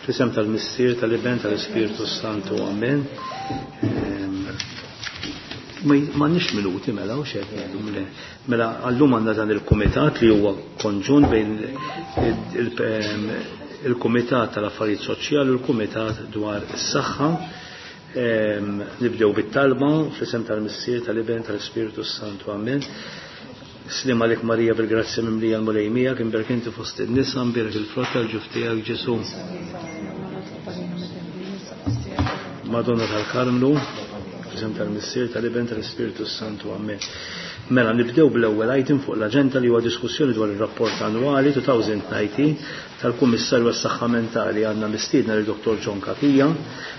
Fl-isem tal-Missier, tal-Iben, tal-Ispirtu Santu, Amen. Ma nix minuti mela u xek Mela għallum għandna dan il-kumitat li huwa konġun bejn il-Kumitat tal-Affarijiet Soċjali u l-Kumitat dwar is-Saħħa. Nibdew bit-talba fl-isem tal-Missier, tal-Iben, tal-Ispirtu Santu. Amen. Slim għalik Marija bil-grazzja mimlija l-Mulej miegħek, imbierek inti fost in-nisa, imbierek il-frott tal-ġuf tiegħek Ġesù. Madonna tal-Karmnu, fl-isem tal-Missier, tal-Iben, tal-Ispirtu Santu. Amen. Mela nibdew bl-ewwel item fuq l-aġenda li huwa diskussjoni dwar ir-rapport annwali 2019 tal-Kummissarju għas-Saħħa Mentali. Għandna mistiedna lil Dr. John Cachia,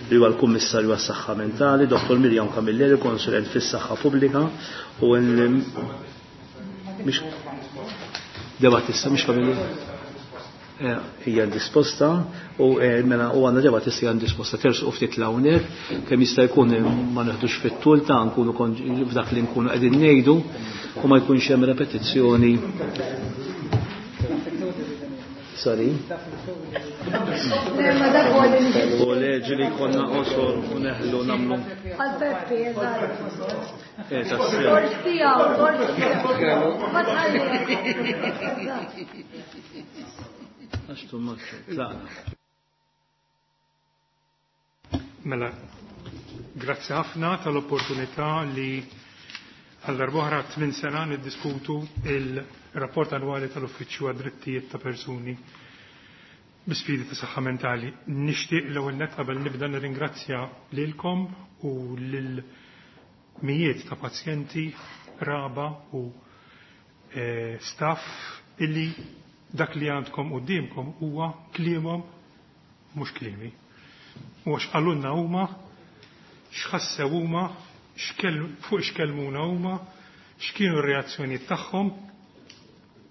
li huwa l-Kummissarju għas-Saħħa Mentali, Dr. Miriam Camilleri, konsulent fis-saħħa pubblika, u mhix Debattista, mhix Camilleri? Hija indisposta u mela u għandna Debattista hija indisposta tersqu ftit l-hawnhekk kemm jista' jkun ma neħdux fit-tul ta' nkunu f'dak li nkunu qegħdin ngħidu u ma jkunx hemm repetizzjoni. Sorry. U leġi li konna qosor u neħlu nagħmlu. Għal Peppi, eżatt. Tassew. Tort tiegħu, tort tiegħu. Ma tħalli. Għax tu maċċu, tlaqna. Mela, grazzi ħafna tal-opportunità li għal darb'oħra 8 sena niddiskutu il-rapport annwali tal-Uffiċċju għad-Drittijiet ta' Persuni bi sfidi ta' saħħa mentali. Nixtieq l-ewwel nett qabel nibda nirringrazzja lilkom u lil mijiet ta' pazjenti, raba u staff illi dak li għandkom quddiemkom huwa kliemhom mhux kliemi. U għax qalulna huma, x'ħassew huma, fuq x'kellmuna huma, x'kienu r-reazzjonijiet tagħhom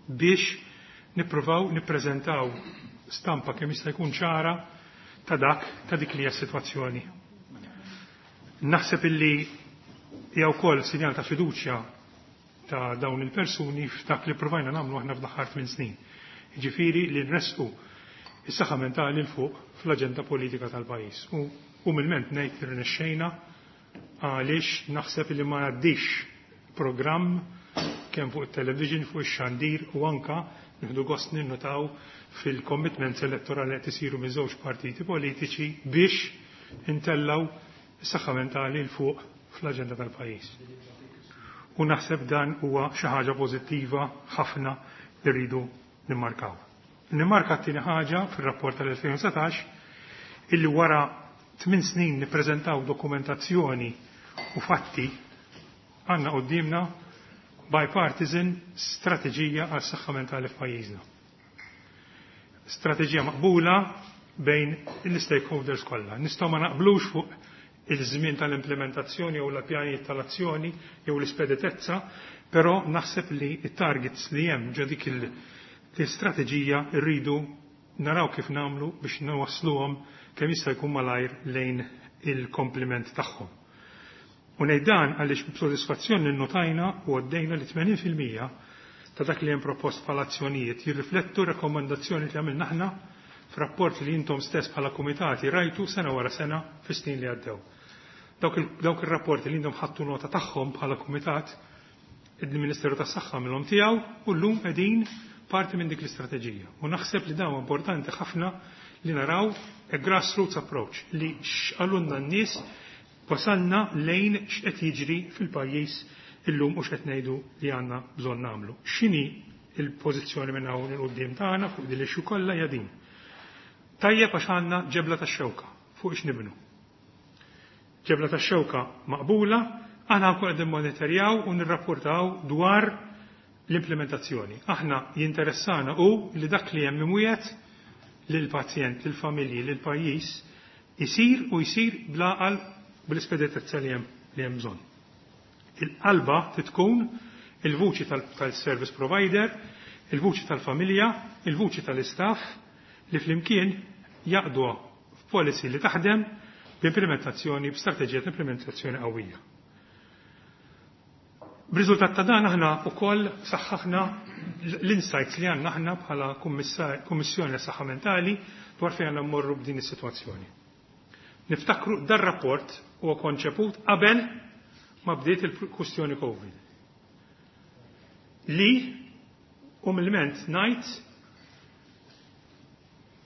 biex nippruvaw nippreżentaw stampa kemm jista' jkun ċara ta' dak ta' dik li hija s-sitwazzjoni. Naħseb illi hija wkoll sinjal ta' fiduċja ta' dawn il-persuni f'dak li provajna nagħmlu aħna fl-aħħar 8 snin. Jiġifieri li nresqu is-saħħa mentali l fuq fl-aġenda politika tal-pajjiż. U umilment ngħid li rnexxejna għaliex naħseb li ma jgħaddix programm kemm fuq it-television, fuq ix-xandir u anka nieħdu gost ninnutaw fil-commitments elettorali qed isiru minn żewġ partiti politiċi biex intellaw is-saħħa mentali l fuq fl-aġenda tal-pajjiż. U naħseb dan huwa xi ħaġa pożittiva ħafna li rridu nimmarkaw. Nimmarka t-tieni ħaġa fir-rapport tal-2019 illi wara 8 snin nippreżentaw dokumentazzjoni u fatti għandna quddiemna bipartisan strateġija għas saħħa mentali f'pajjiżna. Strateġija maqbula bejn l-stakeholders kollha. Nistgħu ma naqblux fuq il-żmien tal-implementazzjoni jew l-pjanijiet tal-azzjoni jew l-ispeditezza, però naħseb li t-targets li hemm ġo dik l-istrateġija rridu naraw kif nagħmlu biex nawasluhom kemm jista' jkun malajr lejn il-kompliment tagħhom. U ngħid dan għaliex b'sodisfazzjon ninnotajna u għaddejna li tmenin fil-mija ta' dak li hemm propost bħala azzjonijiet jirriflettu rakkomandazzjoni li għamilna aħna f'rapport li intom stess bħala kumitati rajtu sena wara sena fis-snin li għaddew. Dawk ir-rapporti li intom ħadtu nota tagħhom bħala kumitat, il-Ministeru tas-Saħħa minnhom tiegħu u llum qegħdin parti minn dik l-istrateġija. U naħseb li dawn importanti ħafna li naraw a grassroots approach li x'qalulna n-nies wasalna lejn x'qed jiġri fil-pajjiż illum u x'qed ngħidu li għandna bżonn nagħmlu. X'inhi l-pożizzjoni minn hawn il quddiem tagħna fuq din l-issue kollha hija din. Tajjeb għax għandna ġebla tax-xewka fuq x'nibnu. Ġebla tax-xewka maqbula, aħna wkoll qegħdin monitorjaw u nirrapportaw dwar l-implementazzjoni. Aħna jinteressana u li dak li hemm imwiegħed lill-pazjent, lill-familji, lill-pajjiż isir u jsir bl-għaqal bl-ispeditezza li hemm bżonn. Il-qalba tkun il-vuċi tal-service provider, il-vuċi tal-familja, il-vuċi tal-istaff li flimkien jaqdu f'policy li taħdem b'implementazzjoni, b'strateġija ta' implementazzjoni qawwija. B'riżultat ta' dan aħna wkoll saħħaħna l-insights li għandna aħna bħala Kummissjoni għas-Saħħa Mentali dwar fejn għandna mmorru b'din is-sitwazzjoni. Niftakru dar-rapport huwa konċeput qabel ma bdiet il-kwistjoni Covid. Li umilment ngħid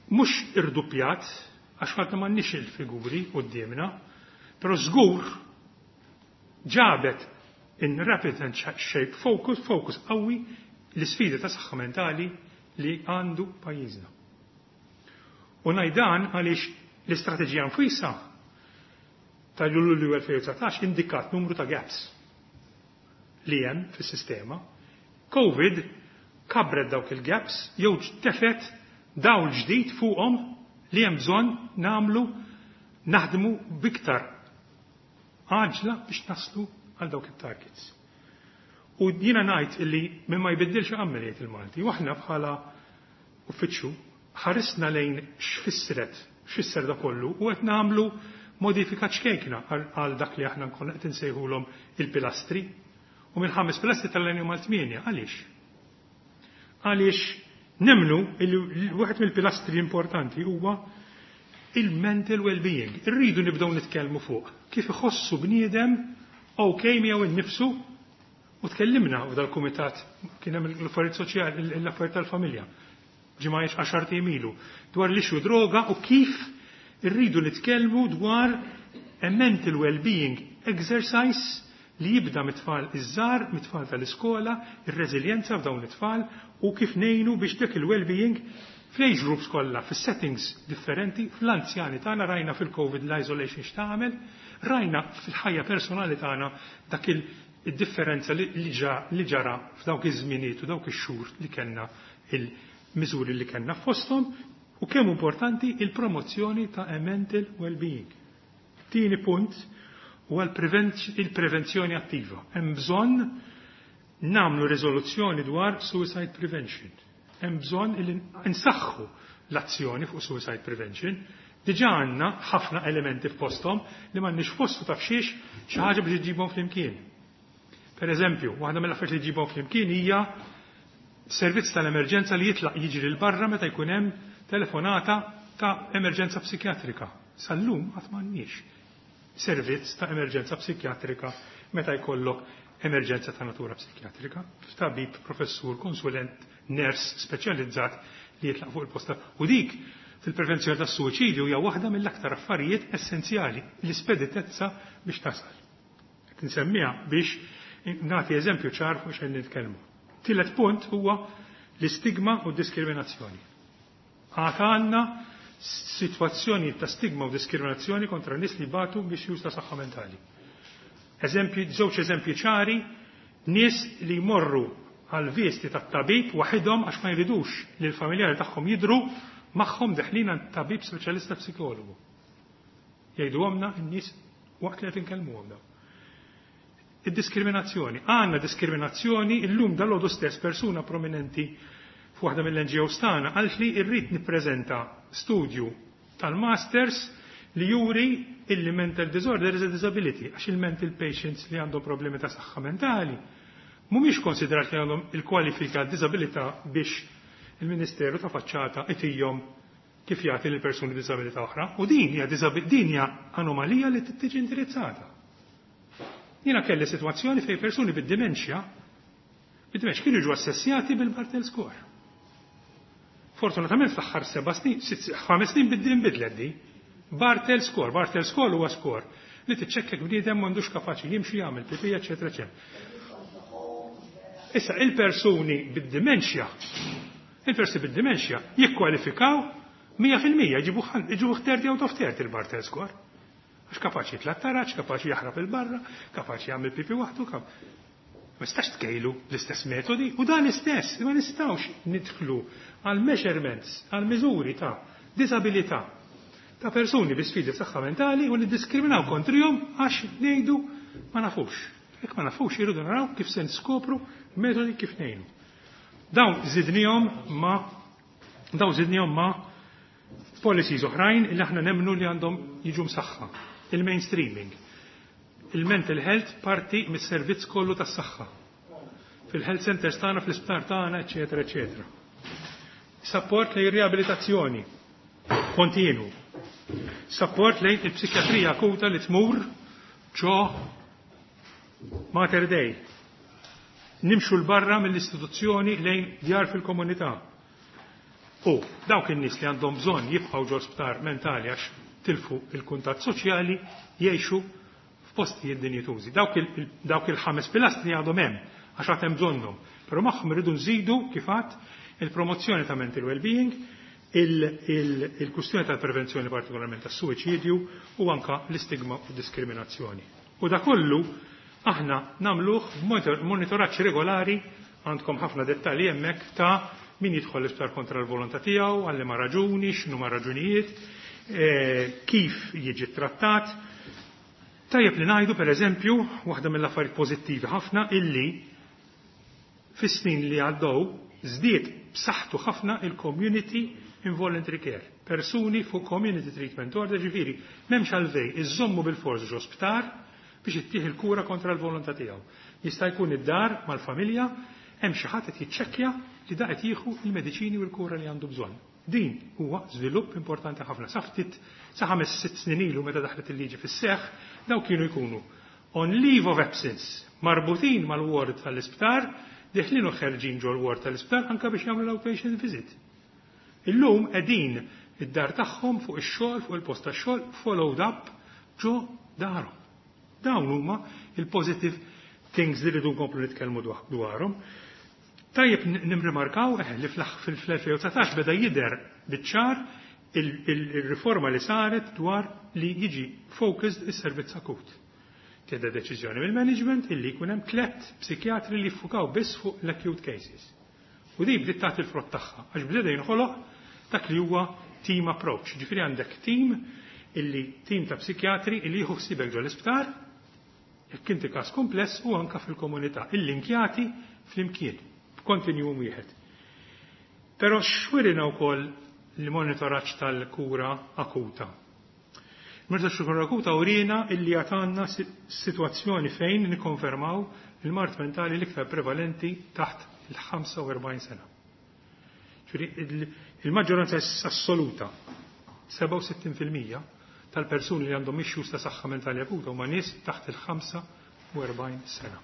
mhux irduppjat għax ħadd m'għandniex il-figuri quddiemna, però żgur ġabet in rapid and shape focus, focus qawwi l-isfidi ta' saħħa mentali li għandu pajjiżna. U ngħid dan għaliex l-istrateġija nfisha ta' Lulju 2019 indikat numru ta' gaps li hemm fis-sistema. Covid kabret dawk il-gaps jew tefet dawl ġdid fuqhom li hemm bżonn nagħmlu naħdmu biktar għaġla biex naslu għal dawk it-targets. U jiena ngħid illi minn ma jbiddilx għammel jgħid il-Malti. U aħna bħala uffiċċju ħarisna lejn x'fissret, x'fisser da kollu u qed nagħmlu modifika ċkejkna għal dak li aħna nkun qed insejħulhom il-pilastri. U minn ħames pilastri tal-għenju mal-tmienja, għaliex? Għaliex nemmnu li wieħed mill-pilastri importanti huwa il-mental well-being. Irridu nibdew nitkellmu fuq kif iħossu bniedem ok miegħu innifsu u tkellimna f'dal-kumitat kien hemm l-affarijiet soċjali, l-affarijiet tal-familja. Ġimgħa 10 ilu dwar l-issue droga u kif irridu nitkellmu dwar a mental well-being exercise li jibda mit-tfal iż-żgħar, mit-tfal tal-iskola, ir-reżiljenza f'dawn it-tfal u kif ngħinu biex dik il-well-being fl-age groups kollha, fis-settings differenti, fl-anzjani tagħna rajna fil-COVID l-isolation x'tagħmel, rajna fil-ħajja personali tagħna dak il-differenza li ġara f'dawk iż-żminijiet u dawk ix-xhur li kellna il-miżuri li kellna fosthom u kemm importanti il-promozzjoni ta' a mental well-being. Tieni punt huwa il-prevenzjoni attiva. Hemm bżonn nagħmlu riżoluzzjoni dwar suicide prevention. Hemm bżonn li nsaħħu l-azzjoni fuq suicide prevention. Diġà għandna ħafna elementi f'posthom li m'għandniex f'postu taf xiex xi ħaġa biex iġibhom flimkien. Per eżempju, waħda mill-affarijiet li ġibhom flimkien hija servizz tal-emerġenza li jitlaq jiġri 'l barra meta jkun hemm telefonata ta' emerġenza psikjatrika. Sal-lum qatt m'għandniex servizz ta' emerġenza psikjatrika meta jkollok emerġenza ta' natura psikjatrika. Tabib, professur, konsulent, ners speċjalizzat li jitlaq fuq il-posta. U dik fil-prevenzjoni tas suwiċidju hija waħda mill-aktar affarijiet essenzjali, l-ispeditezza biex tasal. Qed insemmiha biex nagħti eżempju ċar fuq xejn nitkellmu. Tielet punt huwa l-istigma u d-diskriminazzjoni. Għad għandna sitwazzjoni ta' stigma u diskriminazzjoni kontra nies li batu biex ta' saħħa mentali. Eżempji, żewġ eżempji ċari, nies li jmorru għal visti tat-tabib waħidhom għax ma jridux li l-familjari tagħhom jidru magħhom deħlin għand tabib speċjalista psikologu. Jgħidu għomna n-nies waqt li qed inkellmuhom dawn. Id-diskriminazzjoni. Għandna diskriminazzjoni illum dal stess persuna prominenti f'waħda mill-NGOs tagħna għalt li rrid nippreżenta studju tal-masters li juri illi mental disorder is a disability għax il-mental patients li għandhom problemi ta' saħħa mentali mhumiex konsiderati li għandhom il-kwalifika disabilità biex il-Ministeru ta' faċċata itihom kif jagħti lil persuni b'disabilità oħra u din hija anomalija li tiġi indirizzata. Jiena kelli sitwazzjoni fejn persuni bid-dementia kienu jiġu assessjati bil-Barthel score. Fortunatament fl-aħħar 7 snin, 5 snin bidlet di. Barthel score, Barthel score huwa score li tiċċekkek bniedem m'għandux kapaċi jimxi, jagħmel pipi, eċetera, eċetera. Issa il-persuni bid-dementia jikkwalifikaw 100% jġibu 30 out of 30 il-Barthel score. Għax kapaċi jitla' taraġ, kapaċi jaħrab il-barra, kapaċi jagħmel pipi waħdu, ma nistax tkejlu l-istess metodi u dan l-istess, ma nistgħux nidħlu għal measurements, għal miżuri ta' disabilità ta' persuni bi sfidi saħħa mentali u niddiskriminaw kontrihom għax ngħidu ma nafux. Jekk ma nafux irridu naraw kif se niskopru metodi kif ngħinu. Dawn żidnihom ma' policies oħrajn li aħna nemmnu li għandhom jiġu msaħħa. Il-mainstreaming. Il-mental health parti mis-servizz kollu tas-saħħa. Fil-health centers tagħna, fl-isptar tagħna, eċetera, eċetera. Support li riabilitazzjoni. Kontinu. Support lejn il-psikjatrija akuta li tmur ġo Mater Dei. Nimxu l-barra mill-istituzzjoni lejn djar fil-komunità. U dawk in-nies li għandhom bżonn jibqgħu ġo sptar mentali għax tilfu il-kuntatt soċjali jgħixu f'postijiet dinjitużi. Dawk il-ħames pilastri għadhom hemm għax għad hemm bżonnhom. Però magħhom irridu nżidu kif għadd il-promozzjoni ta' mental well-being, il-kustjoni tal-prevenzjoni, partikolarment tas-suwiċidju, u anka l-istigma u diskriminazzjoni. U da kollu aħna nagħmluh b'monitoraġġ regolari. Għandkom ħafna dettalji hemmhekk ta' min jidħol l-isptar kontra l-volontà tiegħu, għal ma raġuni, x'inhu ma raġunijiet, kif jiġi trattat. Tajjeb li ngħidu, pereżempju, waħda mill-affarijiet pożittivi ħafna illi fis-snin li għaddew żdied b'saħħtu ħafna il-community involuntary care. Persuni fuq community treatment order, ġifieri, m'hemmx għalfejn iżommu bil-fors ġo sptar biex ittih il-kura kontra l-volontà tiegħu. Jista' jkun id-dar mal-familja, hemm xi ħadd qed jiċċekkja li da qed jieħu il-mediċini u l-kura li għandu bżonn. Din huwa żvilupp importanti ħafna. Sa ftit, sa 5-6 snin ilu, meta daħlet il-liġi fis-seħħ, daw kienu jkunu on leave of absence, marbutin mal-ward tal-isptar, deħlin u ħerġin ġol ward tal-isptar anka biex jagħmlu l-outpatient visit. Illum qegħdin id-dar tagħhom, fuq ix-xogħol, fuq il-post tax-xogħol, followed up ġo darhom. Dawn huma il-positive things li rridu nkomplu nitkellmu dwarhom. Tajjeb nimrimarkaw li fl-2019 beda jidher biċ-ċar il-riforma li saret dwar li jiġi focused is-servizz akut. Keda deċiżjoni mill-management illi jkun hemm tliet psikjatri li jiffukaw biss fuq l-acute cases. U di bdiet tagħti l-frott tagħha għax bdeda jinħoloq dak li huwa team approach. Ġifieri għandek team ta' psikjatri illi jieħu ħsiebek ġol isptar jekk inti każ kompless u anka fil-komunità, illinkjati flimkien f'kontinwum wieħed. Però x'wrina wkoll l-monitoraġġ tal-kura akuta? Monitoraġġ tal-kura akuta urina illi għatanna situazzjoni fejn nikkonfermaw il-mard mentali l-iktar prevalenti taħt il-45 sena. Ġifieri il-maġġoranza assoluta, 67% tal-persuni li għandhom issues ta' saħħa mentali akuta, huma nies taħt il-45 sena.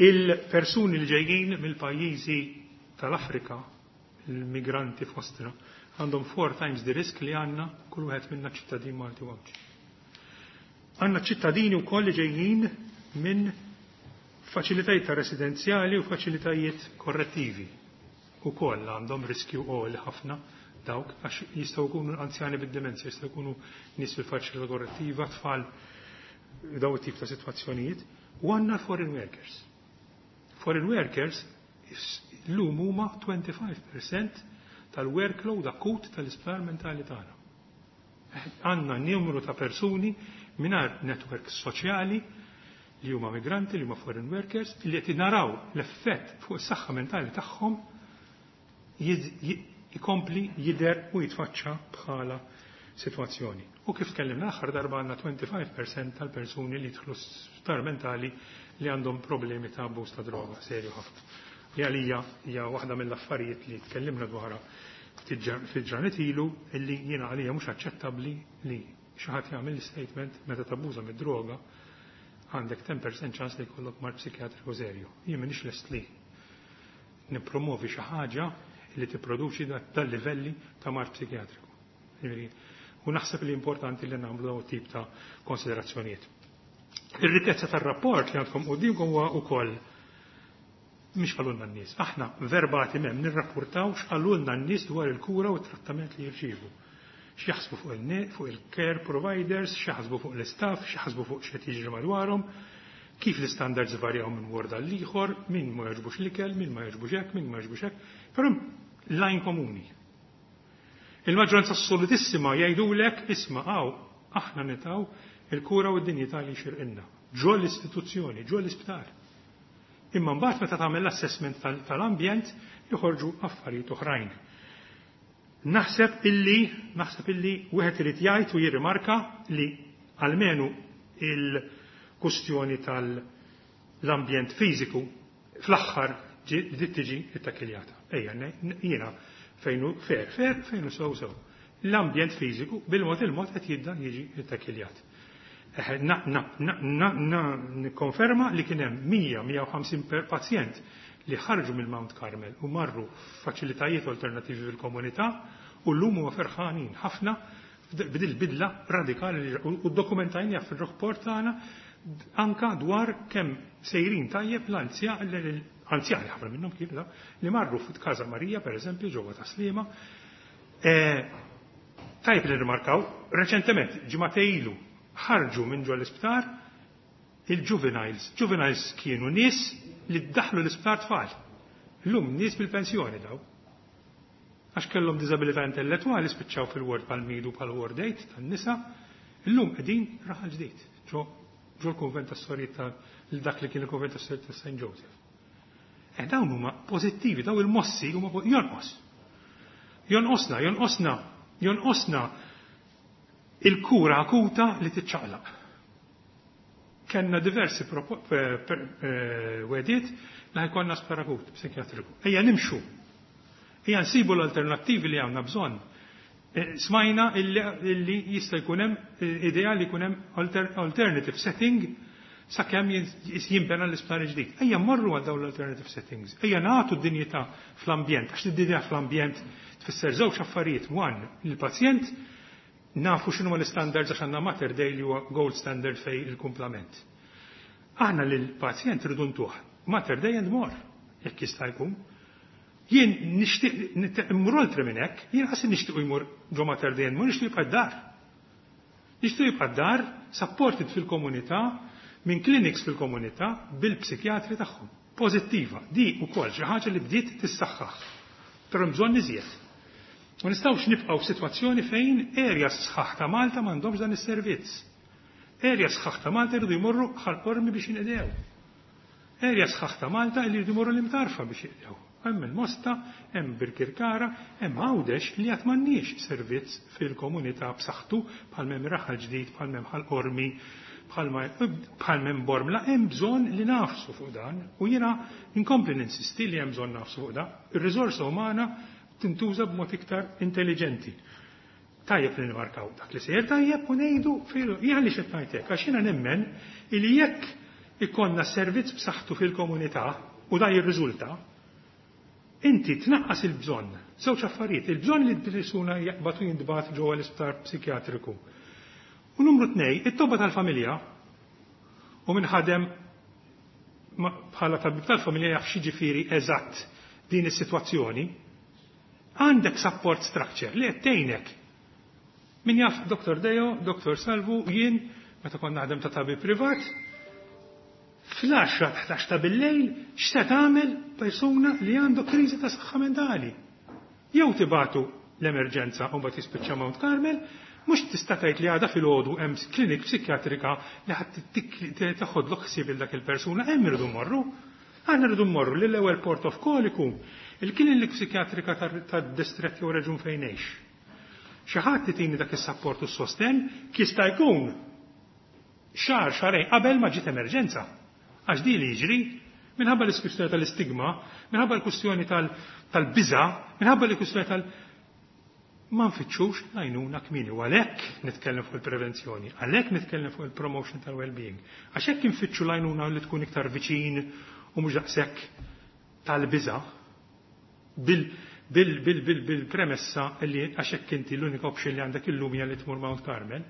Il-persuni li ġejjin mill-pajjiżi tal-Afrika, il-migranti fostna, għandhom four times the risk li għandna kull wieħed minna ċittadin Malti u Għawdxi. Għandna ċittadini wkoll li ġejjin minn faċilitajiet ta' residenzjali u faċilitajiet korrettivi. Ukoll għandhom riskju għoli ħafna dawk għax jistgħu jkunu anzjani bid-demenzja, jistgħu jkunu nies fil-faċilità korrettiva, tfal, daw tip ta' sitwazzjonijiet. U għandna foreign workers. Foreign workers l-lum huma 25% tal-workload akut tal-isptar mentali tagħna. Għandna numru ta' persuni mingħajr network soċjali li huma migranti, li huma foreign workers, li qed naraw l-effett fuq is-saħħa mentali tagħhom ikompli jidher u jitfaċċa bħala situazzjoni. U kif tkellimna aħħar darba, għandna 25% tal-persuni li jidħlu sptar mentali li għandhom problemi ta' abbuż ta' droga serju ħafna. Li għalija hija waħda mill-affarijiet li tkellimna dwarha fil-ġranet ilu, illi jiena għalija mhux aċċettabbli li xi ħadd jagħmel statement meta tabbuża mid-droga għandek 10% ċans li jkollok mard psikjatriku serju. Jien m'iniex lest li nippromovi xi ħaġa li tipproduċi dal-livelli ta' mard psikjatriku. U naħseb li importanti li nagħmlu dawn tip ta' konsiderazzjonijiet. Ir-rikkezza tar-rapport li għandkom qudiemkom huwa wkoll mhix qalulna n-nies. Aħna verbatim hemm nirrapportaw x'qalulna n-nies dwar il-kura u t-trattament li jirċievu. X'jaħsbu fuq il-care providers, x'jaħsbu fuq l-istaff, x'jaħsbu fuq x'qed jiġri madwarhom, kif l-standards varjaw minn ward għal ieħor, min ma jogħġbux l-ikel, min ma jogħġbux hekk, min ma jogħġbux hekk, però line komuni. Il-maġġoranza assolutissima jgħidulek, "Isma' hawn aħna ningħataw il-kura u d-dinjità li xirqinna. Ġo l-istituzzjoni, ġo l-isptar." Imma mbagħad meta tagħmel l-assessment tal-ambjent joħorġu affarijiet oħrajn. Naħseb illi wieħed irid jgħid u jirrimarka li almenu il-kustjoni tal-ambjent fiżiku fl-aħħar bdiet tiġi ittakiljata. Ejja, jiena Fejn hu fair, fair, fejn hu sew, sew. L-ambjent fiżiku bil-mod il-mod qed jibda jiġi ttakkiljat. Nikkonferma li kien hemm 100-150 per pazjent li ħarġu mill-Mount Carmel u marru f'faċilitajiet alternattivi fil-komunità u llum huma ferħanin ħafna b'dil bidla radikali li u dokumentajniha fir-rapport tagħna anka dwar kemm sejrin tajjeb l-anzjani ħafna minnhom kienu li marru f'Każa Marija pereżempju ġewwa Tas-Sliema. Tajjeb li nirrimarkaw, reċentement, ġimagħtejn ilu, ħarġu minn ġo l-isptar il-juveniles. Juveniles kienu nies li daħlu l-isptar tfal. Illum nies bil-pensjoni daw. Għax kellhom diżabilità intellettwali spiċċaw fil-ward pal-Midu pal-ward 8 tan-nisa, illum qegħdin Raħal Ġdid, ġo ġo l-kunvent tas-sorijiet ta' dak li kien il-kunvent tas-sorijiet ta' St. Joseph. Eh dawn huma pożittivi, dawn il-mossi huma jonqos. Jonqosna, jonqosna, jonqosna il-kura akuta li tiċċaqlaq. Kenna diversi wegħdiet li ħa jkollna sptar akut psikjatriku. Ejja nimxu. Ejja nsibu l-alternattivi li għandna bżonn. Smajna illi jista' jkun hemm idea li jkun hemm alternative setting sakemm jinbena l-isptar ġdid. Ejja mmorru għal dawn l-alternative settings. Ejja nagħtu d-dinjità fl-ambjent, għax id-dinjità fl-ambjent tfisser żewġ affarijiet. One, il-pazjent nafu x'inhu l-standards għax għandna Mater Dei li huwa gold standard fej il-kumplament. Aħna lill-pazjent rridu ntuh Mater Dei and more, jekk jista' jkun. Jien nixtieq immur oltre minn hekk, jien qas nixtieq jmur ġo Mater Dei and more, nixtieq jibqa' d-dar. Nixtieq jibqa' d-dar, supported fil-komunità, minn clinics fil-komunità bil-psikjatri tagħhom. Pożittiva, di wkoll xi ħaġa li bdiet tissaħħaħ. Però bżonn iżjed. Ma nistgħux nibqgħu f'sitwazzjoni fejn areas sħaħ ta' Malta m'għandhomx dan is-servizz. Areas sħaħ ta' Malta jridu jmorru Ħal Qormi biex jinqdew. Areas sħaħ ta' Malta li jridu jmorru l-Imtarfa biex jinqdew. Hemm il-Mosta, hemm Birkirkara, hemm Għawdex li għad m'għandniex servizz fil-komunità b'saħħtu bħal m'hemm Raħal Ġdid, bħal m'hemm Ħal Qormi, bħal m'hemm Bormla, hemm bżonn li nagħfsu fuq dan u jiena nkompli ninsisti li hemm bżonn nagħfsu fuq dan. Ir-riżorsa umana tintuża b'mod iktar intelligenti. Tajjeb li nimarkaw dak li sejjer tajjeb u ngħidu jien li xed ngħidlek għax jiena nemmen li jekk ikollna servizz b'saħħtu fil-komunità u dan jirriżulta, inti tnaqqas il-bżonn. Żewġ affarijiet, il-bżonn li l-persuna jaqbad u jintbagħat ġewwa l-isptar psikjatriku. U numru tnej, it-tobba tal-familja u min ħadem bħala tabib tal-familja jaf x'jiġifieri eżatt din is-sitwazzjoni, għandek support structure li qed tgħinek. Min jaf Dr. Deo, Dr. Salvu, jien, meta kont naħdem ta' tabib privat, fl-10 11 ta' bil-lejl, x'se tagħmel persuna li għandu kriżi ta' saħħa mentali? Jew tibagħtu l-emerġenza u mbagħad jispiċċa Mount Carmel, mhux tista' tgħid li għada filgħodu hemm klinik psikjatrika li ħadd teħodlok ħsieb il dak il-persuna, hemm irridu mmorru. Aħna rridu mmorru lill ewwel port of call ikun il-klinik psikjatrika tad-distrett jew reġun fejn ngħix. Xi ħadd itini dak is-sapport u s-sostenn jista' jkun xahar xahrejn qabel ma ġiet emerġenza. Għax di li jiġri minħabba l-kwistjoni tal-istigma, minħabba l-kwistjoni tal-biża, minħabba l-kwistjoni tal- ma nfittxux l-għajnuna kmieni u għalhekk nitkellem fuq il-prevenzjoni, għalhekk nitkellem fuq il-promotion tal-well-being. Għax hekk infittxu l-għajnuna li tkun iktar viċin u mhux daqshekk tal-biża bil-premessa li għax hekk inti l-unika option li għandek illum hija li tmur Mount Carmel.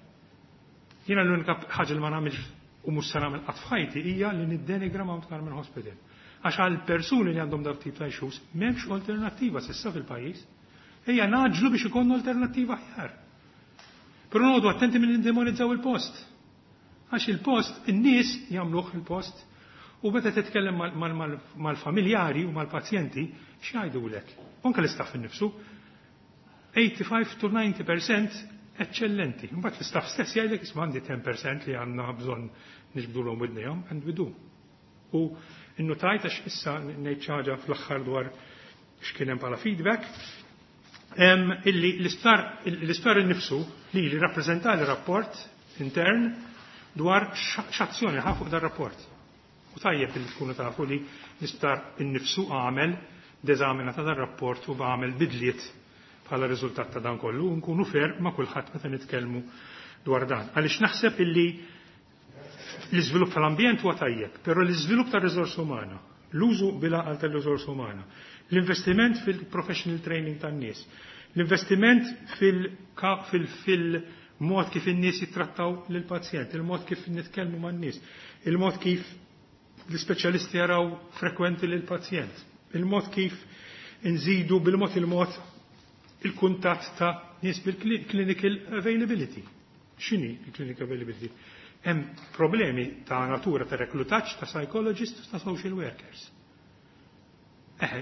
Jiena l-unika ħaġa li ma nagħmilx u mhux se nagħmel qatt f'ħajti hija li niddenigra Mount Carmel Hospital. Għax għal persuni li għandhom dak tip ta' issues m'hemmx alternattiva s'issa fil-pajjiż. Ejja ngħaġġlu biex ikollna alternattiva aħjar. Però noqogħdu attenti minn nindemonizzaw il-post. Għax il-post, in-nies jagħmluh il-post, u meta titkellem mal-familjari u mal-pazjenti, x'jgħidulek? Anke l-istaff innifsu, 85 to 90% eccellenti. Mbagħad l-istaff stess jgħidlek isma' għandi 10% li għandna bżonn niġbdulhom widnejhom, and we do. U innutajt għax issa ngħid xi ħaġa fl-aħħar dwar x'kien hemm bħala feedback, illi l-isptar innifsu li rappreżentali rapport intern dwar x'azzjoni ħa fuq dar rapport. U tajjeb li tkunu tafu li l-isptar innifsu għamel deżamina ta' dar rapport u għamel bidliet. bħala riżultat ta' dan kollu u nkunu fair ma' kulħadd meta nitkellmu dwar dan. Għaliex naħseb illi l-iżvilupp tal-ambjent huwa tajjeb, però l-iżvilupp tar-riżorsa umana, l-użu bil-għaqal tar-riżorsa umana, l-investiment fil-professional training tan-nies, l-investiment fil-mod kif in-nies jittrattaw lill-pazjent, il-mod kif nitkellmu man-nies, il-mod kif l-ispeċjalisti jaraw frekwenti lill-pazjent, il-mod kif nżidu bil-mod il-mod il-kuntatt ta' nies bil-clinical availability. X'inhi il-clinical availability? Hemm problemi ta' natura ta' reklutaġġ ta' psychologists ta' social workers. Eħe,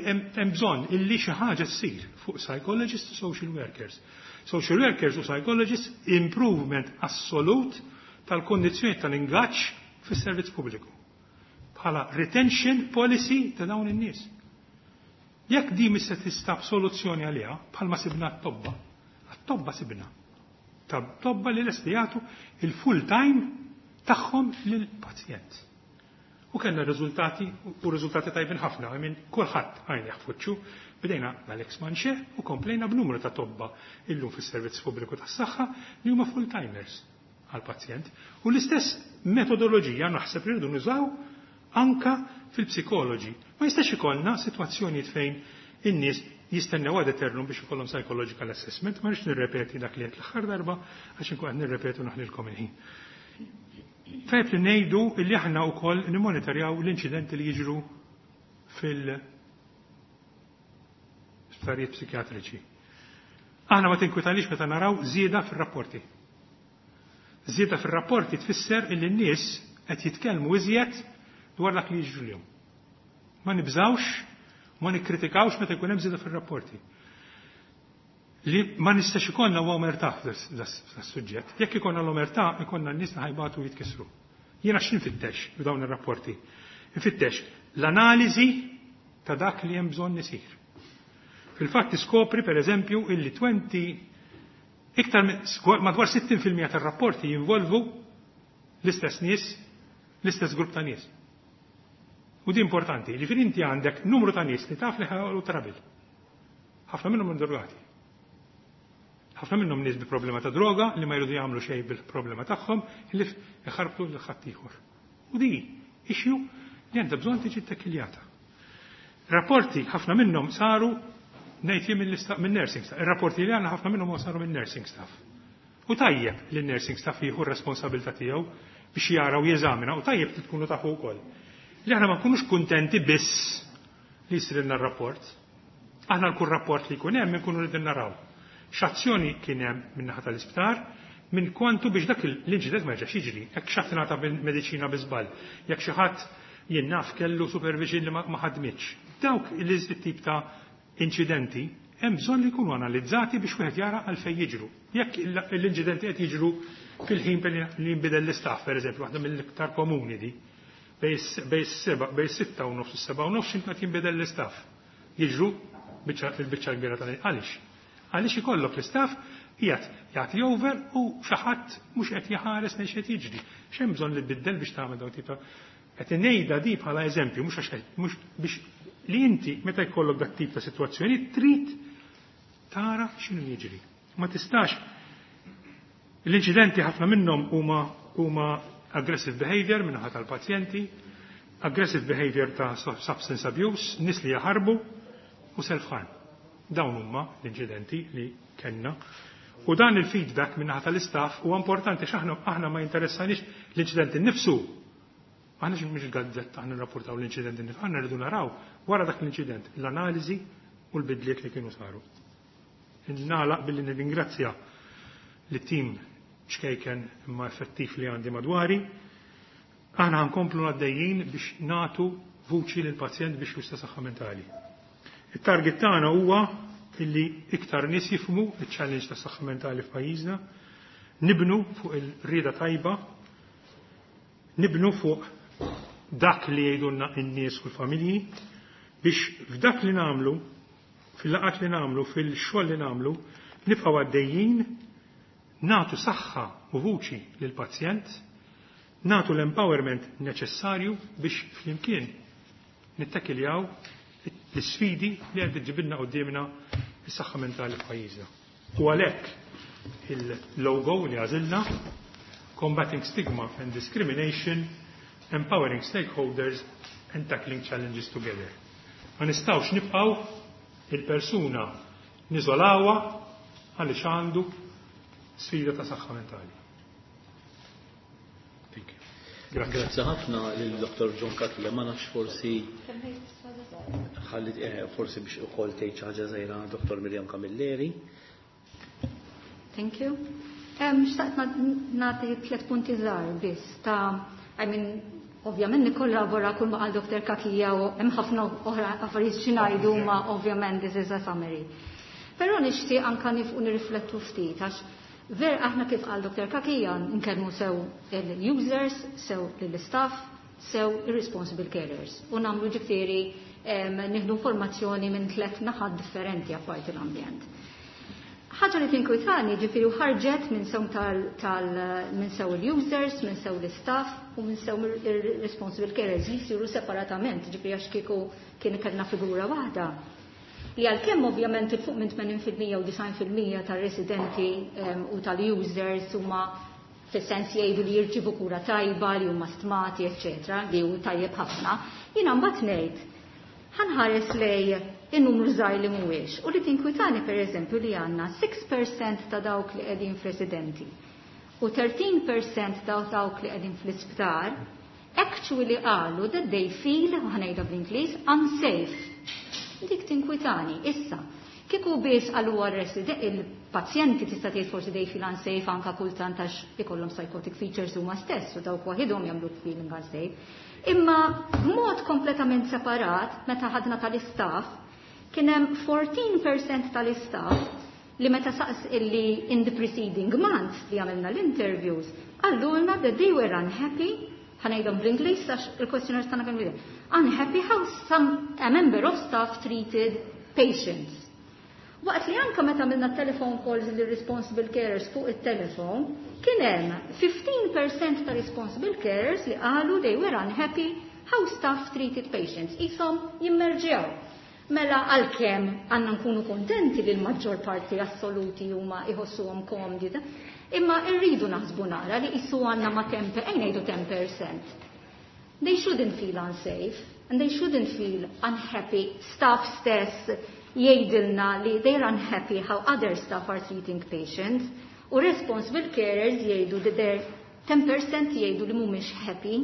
hemm bżonn illi xi ħaġa ssir fuq psychologists u social workers. Social workers u psychologists improvement assolut tal-kondizzjoni tal-ingaġġ fis-servizz pubbliku. Bħala retention policy ta' dawn in-nies. Jekk di mhix se tistab soluzzjoni għaliha, bħalma sibna t-tobba, għat-tobba sibna. Ta' tobba li lesti jagħtu il-full time tagħhom lill-pazjent. U kellna riżultati u riżultati tajbin ħafna, minn kulħadd għajn fuċċu, bdejna mal-ex Manche u komplejna b'numru ta' tobba illum fis-servizz pubbliku tas-saħħa li huma full-timers għal-pazjent. U l-istess metodoloġija naħseb li rridu nużaw anka fil-psikoloġi. Ma jistax ikollna sitwazzjonijiet fejn in-nies jistennew ad eternum biex ikollhom psychological assessment, ma rridx nirrepeti dak li qed l-aħħar darba għax inkun qed nirrepetu naħlilkom il-ħin. Tajb li ngħidu li aħna wkoll nimmonitorjaw l-inċidenti li jiġru fil-sptarijiet psikjatriċi. Aħna ma tinkwitalix meta naraw żieda fir-rapporti. Żieda fir-rapporti tfisser illi n-nies qed jitkellmu iżjed dwar dak li jiġri lilhom. Ma nibżawx, ma nikkritikawx meta jkun hemm żieda fir-rapporti. Li ma nistax ikollna huwa omertà f'das-suġġett. Jekk ikollna l-omertà, ikollna n-nies li ħajbatu jitkissru. Jiena x'infittex b'dawn ir-rapporti? Infittex l-analiżi ta' dak li hemm bżonn isir. Fil-fatt tiskopri per eżempju illi 20 iktar madwar 60% tar-rapporti jinvolvu l-istess nies, l-istess grupp ta' nies. U di importanti, ġifieri inti għandek numru ta' nies li taf li ħajqolu trouble. Ħafna minnhom drogati. Ħafna minnhom nies bi problema ta' droga li ma jridu jagħmlu xejn bil-problema tagħhom li iħarbtu lil ħaddieħor. U di issue li għandha bżonn tiġi ttekiljata. Rapporti ħafna minnhom saru ngħid jien minn nursing staff. Ir-rapporti li għandna ħafna minnhom saru minn nursing staff. U tajjeb li nursing staff jieħu r-responsabilità tiegħu biex jara u jeżamina u tajjeb li tkunu tafu wkoll. Li aħna ma nkunux kuntenti biss li jsir rapport. Aħna l-kull rapport li jkun hemm inkunu rridu naraw. X'azzjoni kien hemm min-naħa tal-isptar, minn kwantu biex dak l-inċident ma jerġax jiġri. Jekk xi ħadd ingħata mediċina bi żball, jekk xi ħadd jien naf kellu supervision li ma ħadmitx. Dawk il-tip ta' inċidenti hemm bżonn li jkunu analizzati biex wieħed jara għalfejn jiġru. Jekk l-inċidenti qed jiġru fil-ħin li jinbidel l-istaff, pereżempju, waħda mill-iktar komuni di, bejn 6:30 u 7:30 x'imkien qed jinbidel l-istaff. Jiġru il-biċċa kbira tal Għaliex? Għaliex ikollok l-istaff qiegħed jagħti over u xi ħadd mhux qed jaħares lejn x'qed jiġri. X'hemm bżonn li tbiddel biex tagħmel dawn tip ta' qed ngħidha di bħala eżempju, mhux għax mhux biex li inti meta jkollok dak tip ta' sitwazzjoni trid tara x'inhu jiġri. Ma tistax l-inċidenti ħafna minnhom huma huma aggressive behavior min-naħa tal-pazjenti, aggressive behavior ta' substance abuse, nies li jaħarbu u self-harm. Dawn huma l-inċidenti li kellna. U dan il-feedback min-naħa tal-istaff huwa importanti x'aħna aħna ma jinteressanix l-inċidenti nnifsu. Aħna xi mhux gazzetta aħna nrapportaw l-inċidenti nnifsu, aħna rridu naraw wara dak l-inċident l-analiżi u l-bidliet li kienu saru. Nagħlaq billi nirringrazzja lit-tim ċkejken imma effettiv li għandi madwari. Aħna nkomplu għaddejjin biex natu vuċi lil pazjent biex justa saħħa mentali. Il-target tagħna huwa illi iktar nies jifhmu il-challenge ta' saħħa mentali f'pajjiżna, nibnu fuq il-rieda tajba, nibnu fuq dak li jgħidulna n-nies u l-familji biex f'dak li nagħmlu, fil-laqat li nagħmlu, fil-xogħol li nagħmlu, nibqgħu għaddejjin natu saħħa u vuċi lill-pazjent, natu l-empowerment neċessarju biex flimkien nittakiljaw l-sfidi li qed iġġibilna qudiemna is-saħħa mentali f'pajjiżna. U għalhekk il-logo li għażilna, "Combating Stigma and Discrimination, Empowering Stakeholders and Tackling Challenges Together." Ma nistgħux nibqgħu il-persuna niżolawha għaliex għandu sfida ta' saħħa mentali. Thank you. Grazzi ħafna lil Dr. John Cutler, ma nafx forsi ħalli forsi biex ukoll tgħid xi ħaġa żgħira Dr. Miriam Camilleri. Thank you. Xtaqt nagħti tliet punti żgħar biss ta', I mean, ovvjament nikkollabora kull ma qal Dr. Cachia u hemm ħafna oħra affarijiet xi ngħidu, ma ovvjament this is a summary. Però nixtieq anka nifqu nirriflettu ftit, għax ver aħna, kif qal Dr. Cachia, nkellmu sew il-users, sew lill-istaff, sew ir-responsible carers. U nagħmlu, ġifieri, nieħdu informazzjoni minn tliet naħat differenti apparti l-ambjent. Ħaġa li tinkwitani, ġifieri, u ħarġet minn sew tal minn sew il-users, minn sew l-istaff u minn sew il-responsible carers li jsiru separatament, ġifieri, għax kieku kien kellna figura waħda. Li għalkemm ovvjament il fuq minn 80% u 90% tal-residenti u tal-users huma fis-sens jgħidu li jirċivu kura tajba, li huma stmati, eċċetera, li hu tajjeb ħafna, jiena mbagħad ngħid ħa nħares lejn in-numru żgħir li mhuwiex. U li tinkwitani, pereżempju, li għandna 6% ta' dawk li qegħdin f'residenti u 13% ta' dawk li qegħdin fl-isptar actually qalu that they feel, ħa ngħidha bl-Ingliż, unsafe. Dik tinkwitani. Issa, kieku biss għalu il-pazjenti, tista' tgħid forsi they feel unsafe anka kultant għax ikollhom psychotic features huma stess u dawk waħidhom jagħmlu feeling unsafe. Imma b'mod kompletament separat, meta ħadna tal-istaff, kien hemm 14% tal-istaff li meta saqs illi in the preceding months li għamilna l-interviews, qalulna that they were unhappy, ħa ngħidhom bl-Ingliż għax il-questionnaires tagħna kienu unhappy how some a member of staff treated patients. Waqt li anka meta għamilna telephone calls li responsible carers fuq il-telefon, kien hemm 15% ta' responsible carers li qalu they were unhappy how staff treated patients. Isom jimmerġjaw. Mela għalkemm għandna nkunu kontenti li l-maġġor parti assoluti huma iħossuhom komdi, imma rridu naħsbu nara li jissu għandna ma' 10, ejja ngħidu 10%. They shouldn't feel unsafe and they shouldn't feel unhappy. Staff stess jgħidilna li they're unhappy how other staff are treating patients u responsible carers jgħidu li they're 10% jgħidu li mhumiex happy.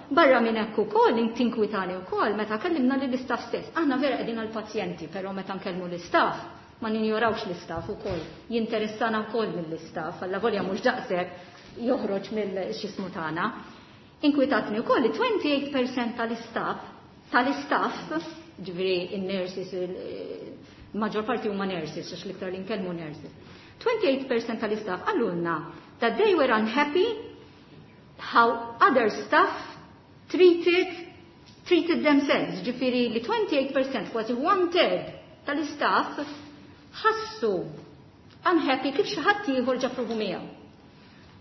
Barra minn hekk ukoll tinkwitani wkoll meta kellimna lill istaff stess. Aħna vera qegħdin għall-pazjenti, però meta nkellmu l-istaff ma ninjorawx l-istaff ukoll. Jinteressana wkoll mill-istaff, alla volja mhux daqshekk joħroġ mill-xismu tagħna. Inkwitatni wkoll li 28% tal-istaff, ġifieri in-nurses, il-maġġor parti huma nurses, għax l-iktar li nkellmu nurses. 28% tal-istaff qalulna that they were unhappy how other staff treated themselves. Ġifieri li 28%, kważi one third tal-istaff ħassu unhappy kif xi ħadd ieħor ġab ruħu miegħu.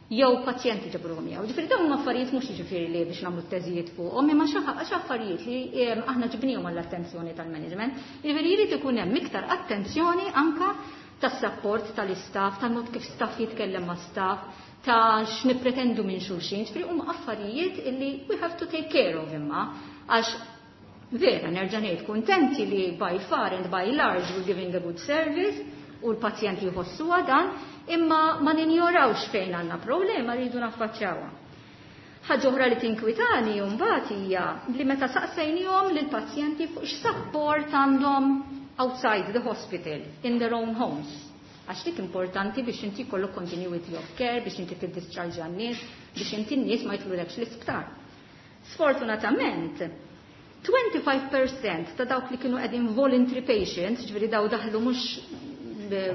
Jew pazjenti ġab ruħu miegħu. Ġifieri dawn huma affarijiet mhux ġifieri li biex nagħmlu teżijiet fuqhom, imma xi affarijiet li aħna ġibnihom għall-attenzjoni tal-management. Ġifieri jrid ikun hemm iktar attenzjoni anka tas-support tal-istaff, tal-mod kif staff jitkellem ma' staff, ta' x'nippretendu minn xulxin, ġifieri huma affarijiet illi we have to take care of, imma għax vera nerġa' ngħid kuntenti li by far and by large we're giving a good service u l-pazjenti jħossuha dan, imma ma ninjorawx fejn għandna problema, rridu naffaċċjawha. Ħaġa oħra li tinkwitani mbagħad hija li meta saqsejnihom lill-pazjenti fuq x'support għandhom outside the hospital, in their own homes. Għax dik importanti biex inti jkollok continuity of care, biex inti tiddischarge għan-nies, biex inti n-nies ma jitlulekx l-isptar. Sfortunatament, 25% ta' dawk li kienu qegħdin voluntary patients, ġifieri daw daħlu mhux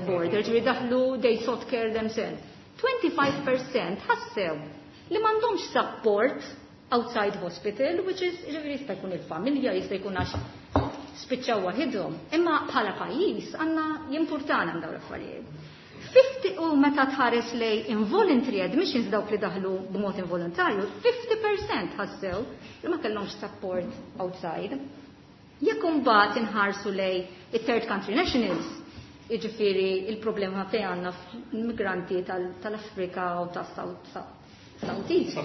border, ġifieri daħlu they sought care themselves. 25% ħassew li m'għandhomx support outside hospital, which is, ġifieri, jista' jkun il-familja, jista' jkun għax spiċċaw waħidhom. Imma bħala pajjiż għandna jimpurtana dawn l-affarijiet. 50, u meta tħares lejn involuntary admissions, dawk li daħlu b'mod involontarju, 50% ħassew li ma kellhomx support outside. Jekk imbagħad inħarsu lejn it-third country nationals, Jiġifieri il-problema fejn għandna migranti tal-Afrika u tas-South East.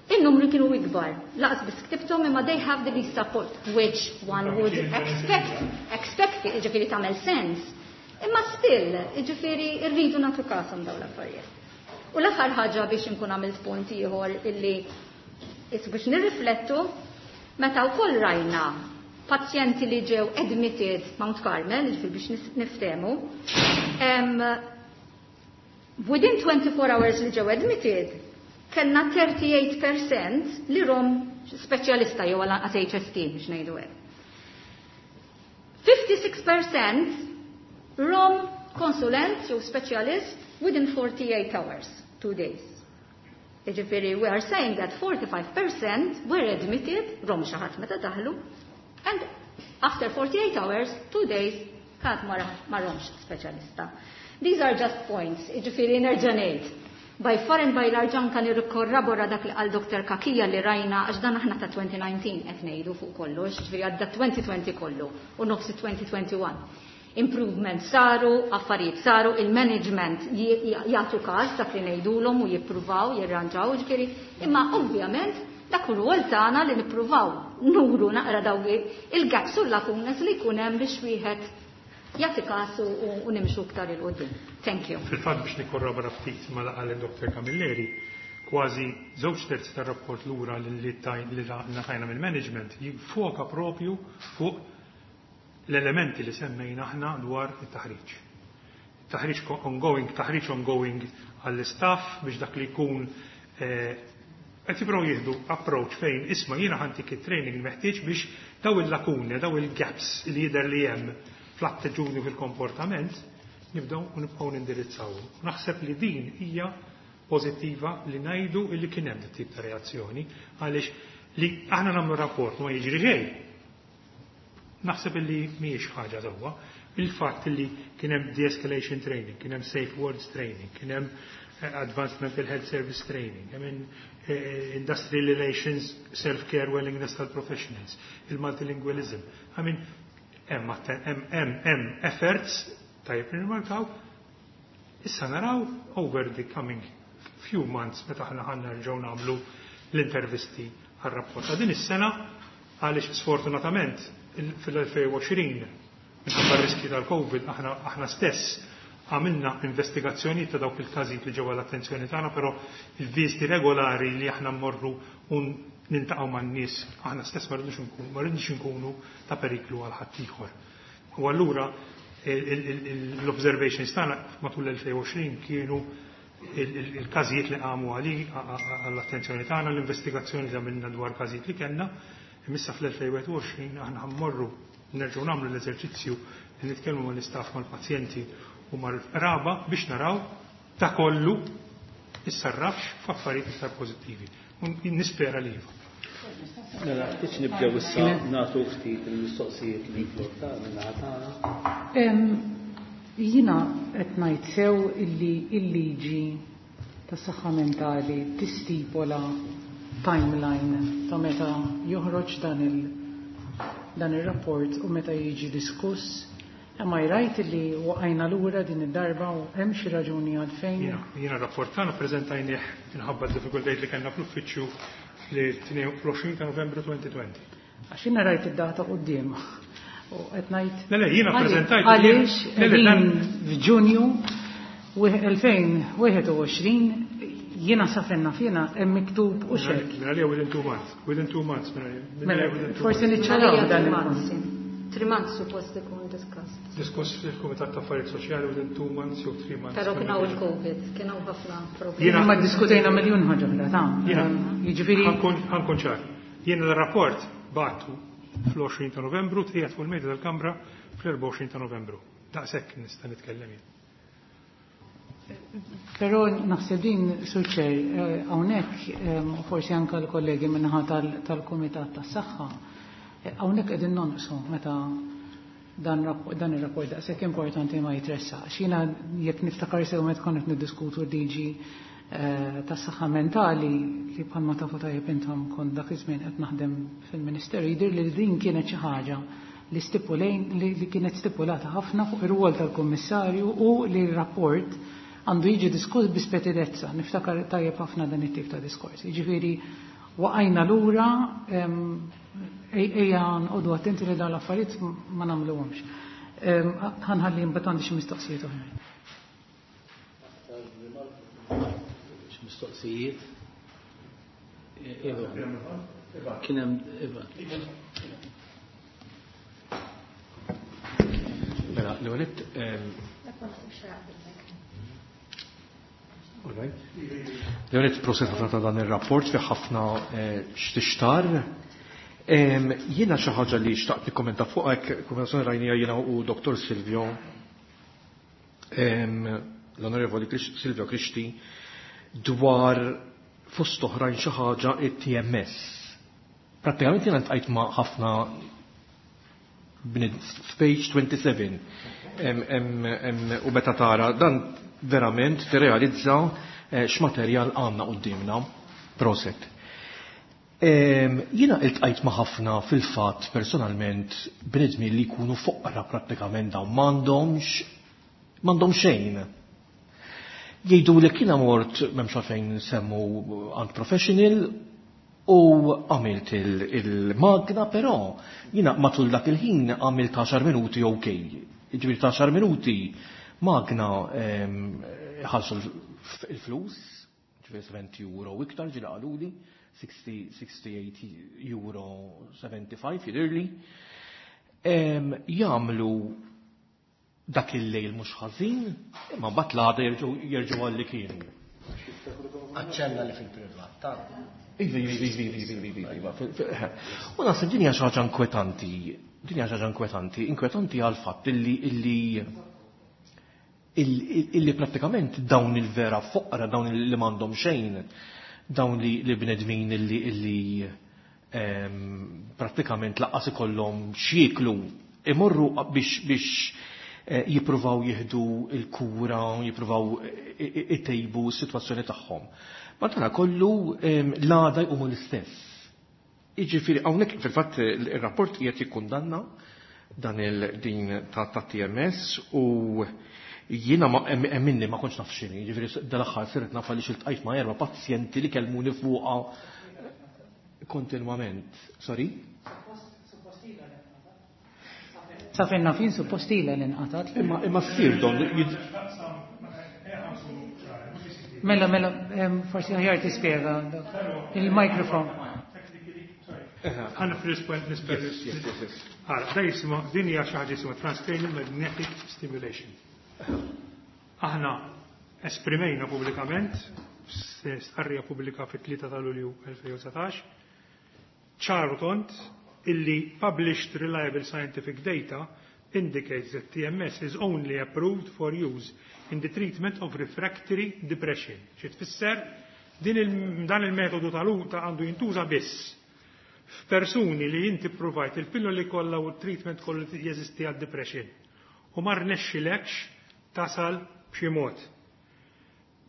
Il-numri kienu ikbar. Lanqas biss ktibthom, imma they have the least support, which one would expect, jiġifieri tagħmel sens. Imma still, jiġifieri rridu nagħtu kashom dawn l-affarijiet. U l-aħħar ħaġa biex inkun għamilt punt ieħor illi biex nirriflettu, meta wkoll rajna pazjenti li ġew admitted Mount Carmel, jiġifieri biex niftehmu, within 24 hours li ġew admitted, kellna 38% li rom speċjalista jew għal HST biex ngħidu hekk. 56% rom konsulent jew specialist within 48 hours, 2 days. Jiġifieri, we are saying that 45% were admitted, rom xi ħadd meta daħlu, and after 48 hours, 2 days, kant ma romx speċjalista. These are just points, jiġifieri nerġa' ngħid. By far and by large, anka nirkorrabora dak li qal Dr. Cachia li rajna, għax dan aħna ta' 2019 qed ngħidu fuq kollox, jiġifieri għadda 2020 kollu u nofsi 2021. Improvement saru, affarijiet saru, il-management jagħtu każ dak li ngħidulhom u jippruvaw, jirranġaw, jiġifieri, imma ovvjament dak hu rwol tagħna li nippruvaw nuru naqra daw il-gaps u l-lacunas li jkun hemm biex wieħed jagħti kasu u nimxu iktar 'il quddiem. Thank you. Fil-fatt, biex nikkorrobora ftit ma' qal il-Dr. Camilleri, kważi 2/3 tar-rapport lura li ngħatajna mill-management jiffoka propju fuq l-elementi li semmejna aħna dwar it-taħriġ. Taħriġ ongoing, taħriġ ongoing għall-istaff biex dak li jkun qed jipprovaw jieħdu approach fejn isma' jiena ħa ntik it-training meħtieġ biex daw il-lakuni, daw il-gaps li jidher li hemm fl-attitudni, fil-komportament, nibdew u nibqgħu nindirizzaw. Naħseb li din hija pożittiva li ngħidu illi kien hemm tip ta' reazzjoni, għaliex li aħna nagħmlu rapport ma jiġri xejn. Naħseb illi mhijiex ħaġa sewwa. Il-fatt li kien hemm de-escalation training, kien hemm safe words training, kien hemm advanced mental health service training, I mean, industrial relations, self-care, willingness tal-professionals, il-multilingualism. I mean, hemm efforts tajjeb nirmarkaw. Issa naraw over the coming few months meta aħna ħa nerġgħu nagħmlu l-intervisti għar-rapport ta' din is-sena, għaliex sfortunatament fil-2020 minħabba riski tal-Covid aħna stess għamilna investigazzjoni ta' dawk il-każijiet li ġew l-attenzjoni tagħna, però il-viżti regolari li aħna mmorru un niltaqgħu man-nies, aħna stess ma rridux nkunu ta' periklu għal ħaddieħor. U allura l-observations tagħna matul l-2020 kienu il-każijiet li qamu għall-attenzjoni tagħna, l-investigazzjoni li għamilna dwar każijiet li kellna. Imma fl-2021 aħna ħa mmorru nerġgħu nagħmlu l-eżerċizzju li nitkellmu mal-istaff, mal-pazjenti u mal-qraba biex naraw ta' kollu issarrafx f'affarijiet iktar pożittivi. Nispera li iva. Mela, biex nibdew issa nagħtu ftit il-mistoqsijiet li flotta minn tagħna. Jiena qed ngħid sew illi il-liġi tas saħħa mentali tistipola timeline ta' meta joħroġ dan il-rapport u meta jiġi diskuss? Am I right li waqajna lura din id-darba u hemm xi raġuni għalfejn? Jiena rapport tagħna preżentajnieh, minħabba d-diffikultajiet li kellna fl-uffiċċju, fl-20 ta' Novembru 2020. Għax jiena rajt id-data quddiem. U qed ngħid Le, jiena preżentajt. Għaliex qegħdin f'Ġunju 2021, jiena sa fejn naf jiena hemm miktub u xek. Mela li within 2 months, within 2 months. Mela, forsi niċċaraw dan il-punt. 3 months suppost ikun discussed. Diskuss fil-Kumitat ta' Affarijiet Soċjali within 2 months jew 3 months. Però kien hawn il-Covid, kien hawn ħafna problemi. Ma diskutejna miljun ħaġa oħra ta' jiġifieri. Ħa nkun ċar. Jiena l-rapport bgħattu fl-20 ta' Novembru, tqiegħed fuq il-mejda tal-Kamra fl-24 ta' Novembru. Daqshekk nista' nitkellem jien. Però naħseb din, Sur Chair, hawnhekk forsi anke l-kollegi min-naħa tal-Kumitat tas-Saħħa, hawnhekk qegħdin nonqsu meta dan ir-rapport daqshekk importanti ma jitressaqx. Jiena jekk niftakar sew, meta konna niddiskutu liġi tas-saħħa mentali, li bħalma tafu tajjeb intom kont dak iż-żmien qed naħdem fil-Ministeru, jidher li din kienet xi ħaġa li stipulejn li kienet stipulata ħafna fuq ir-rwol tal-Kummissarju u li r-rapport għandu jiġi diskuss bi spetidezza. Niftakar tajjeb ħafna dan it-tip ta' diskors. Jiġifieri waqajna lura ejja nqogħdu attenti li dawn l-affarijiet ma nagħmluhomx. Ħa nħalli mbagħad għandi xi mistoqsijiet oħrajn. Xi mistoqsijiet? Iva. Kien hemm Iva. Mela, l-ewwel L-ewwel proset ħafna ta' dan ir-rapport fi ħafna x'tixtar. Jiena xi ħaġa li xtaqt nikkommenta fuq hekk konversazzjoni rajnija jiena u Dr. Silvio l-Onorevoli Silvio Grixti dwar fost oħrajn xi ħaġa it-TMS. Prattikament jiena ltqajt ma' ħafna f'page 27 u meta tara dan verament tirrealizza x'materjal għandna quddiemna. Proset. Jiena iltqajt ma' ħafna fil-fatt personalment bnedmin li jkunu foqra prattikament dawn m'għandhom xejn. Jgħidu li kiena mort m'hemmx għalfejn nsemmu għand professional u għamilt il-magna, però jiena matul dak il-ħin għamilt 10 minuti ok. Jiġifieri 10 minuti magna ħallsu il-flus, ġifieri 70 euro u iktar ġieli qaluli, 68 euro 75 jidhirli. Jagħmlu dak il-lejl mhux ħażin, imma mbagħad l-għada jerġgħu għal li kienu. Aċċenna li fil-privat, ta' Iva, iva, iva, iva, iva, iva, iva. U naħseb din hija xi ħaġa inkwetanti, din hija xi ħaġa inkwetanti, inkwetanti għal fatt illi prattikament dawn il-vera foqra, dawn li m'għandhom xejn, dawn li bnedmin illi prattikament laqqas ikollhom x'jieklu, imorru biex jippruvaw jieħdu il-kura, jippruvaw itejbu s-sitwazzjoni tagħhom. Ma tara kollu l-għada jqumu l-istess. Jiġifieri hawnhekk fil-fatt ir-rapport qiegħed jikkundanna dan il-din ta' TMS u jiena ma emminni ma kontx naf x'inhi, jiġifieri dal-aħħar sirt naf għaliex iltqajt ma' erba' pazjenti li kellmuni fuqha kontinwament. Sorry? Sa fejn naf jien suppost ilha li nqatat. Imma ssir don Mela, mela, forsi aħjar tispjega il-mikrofon. Għanna fil-point nispjega. Għara, da jisma, din hija xi ħaġa jisimha transcranial magnetic stimulation. Aħna esprimejna pubblikament, stqarrija pubblika fit-3 ta' Lulju 2019, ċaru tond illi published reliable scientific data indicates that TMS is only approved for use in the treatment of refractory depression. Xi tfisser dan il-metodu tal-uta għandu jintuża biss f'persuni li inti provajt il-pilloli kollha u t-treatment kollu jeżisti għad-depression u ma rnexxilekx tasal b'xi mod.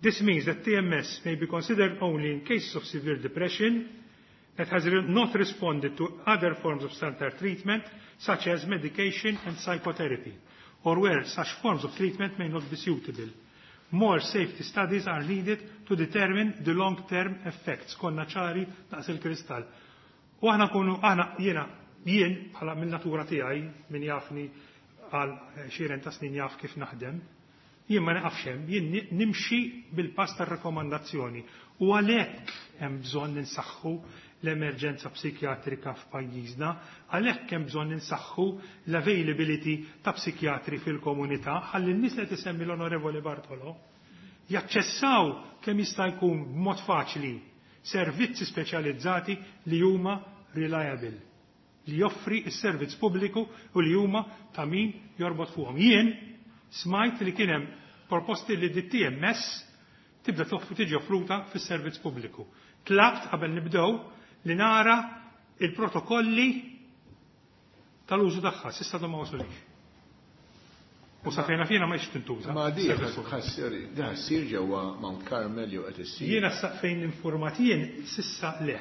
This means that TMS may be considered only in cases of severe depression that has not responded to other forms of standard treatment, such as medication and psychotherapy, or where such forms of treatment may not be suitable. More safety studies are needed to determine the long-term effects. Konna ċari daqs il-kristall. U aħna kunu, aħna jiena, jien bħala mill-natura tiegħi, min jafni għal xiren ta' snin jaf kif naħdem, jien ma naqafx hemm, jien nimxi bil-pass tar-rakkomandazzjoni. U għalhekk hemm bżonn ninsaħħu l-emerġenza psikjatrika f'pajjiżna, għalhekk hemm bżonn ninsaħħu l-availability ta' psikjatri fil-komunità, ħalli n-nies li tisemmi l-Onorevoli Bartolo jaċċessaw kemm jista' jkun b'mod faċli servizzi speċjalizzati li huma reliable, li joffri s-servizz pubbliku u li huma ta' min jorbot fuqhom. Jien smajt li kien hemm proposti li DTMS tibda tiġi offruta fis-servizz pubbliku. Tlabt qabel nibdew li nara il-protokolli tal-użu tagħha, s'issa ma wasulix. U sa fejna fina ma jiex tintuża. Ma di da ssir ġewwa Mount Carmel jew qed issir. Jiena sa fejn informat jien s'issa le.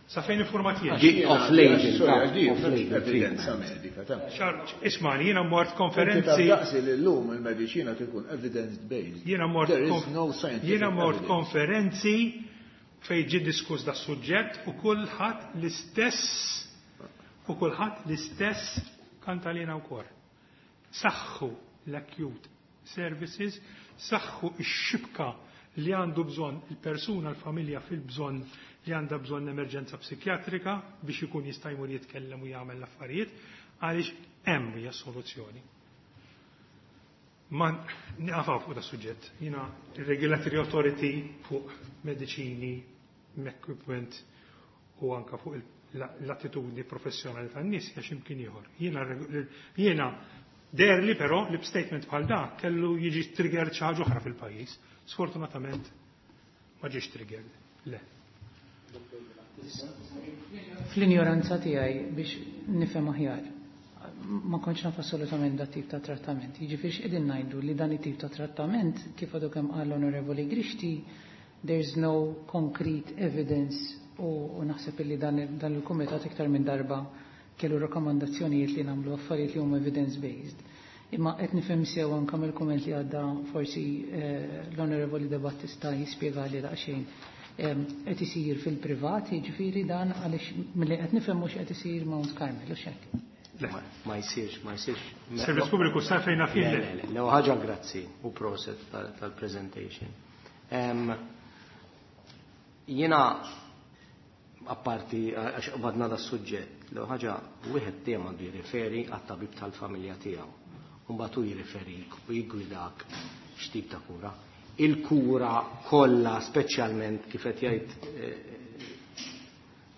Sa fejn informat jien. Di off-label, Sorry, għax di off-label m'hemmx evidenza medika ta'. Ismani, jiena mort Inti konferenzi. taf daqsi li llum il-mediċina tkun evidence based. Jiena mort There is no scientific jiena mort evidence. konferenzi fejn ġie diskuss da suġġett u kulħadd l-istess u kulħadd l-istess kantalina wkoll. Saħħu l-acute services, saħħu x-xibka li għandu bżonn il-persuna, l-familja fil-bżonn li għandha bżonn emerġenza psikjatrika biex ikun jista' jmur jitkellem u jagħmel l-affarijiet, għaliex hemm hija soluzzjoni. Ma niqafaw fuq da suġġett. Jiena il-Regulatory Authority fuq mediċini, equipment u anka fuq l-attitudni professjonali tan-nies hija x'imkien ieħor. Jiena deherli però li b'statement bħal da kellu jiġi triggered xi ħaġa oħra fil-pajjiż. Sfortunatament ma ġiex triggered. Le. Fl-injoranza tiegħi biex nifhem aħjar, ma kontx naf assolutament dat tip ta' trattament. Jiġifieri x'qegħdin ngħidu li dan it-tip ta' trattament, kif għadu kemm qal l-Onorevoli Grixti, there's no concrete evidence u naħseb illi dan il-kumitat iktar minn darba kellu rakkomandazzjonijiet li nagħmlu affarijiet li huma evidence-based. Imma qed nifhem sew anke mill-kumment li għadda forsi l-Onorevoli De Battista jispjegali daqsxejn. Qed isir fil-privat, jiġifieri dan għaliex milli qed nifhem mhux qed isir Mount Carmel, u x'hekk. Le. Ma jsirx, ma jsirx. Servizz pubbliku sa fejn naf jien Le, le. le, le. Le, ħaġa grazzi u proset tal-presentation. Jiena apparti għax qbadna da suġġett, l ħaġa wieħed dejjem għandu jirriferi għat-tabib tal-familja tiegħu. U mbagħad hu jirriferik u jiggwidak x'tip ta' kura. Il-kura kollha, speċjalment kif qed jgħid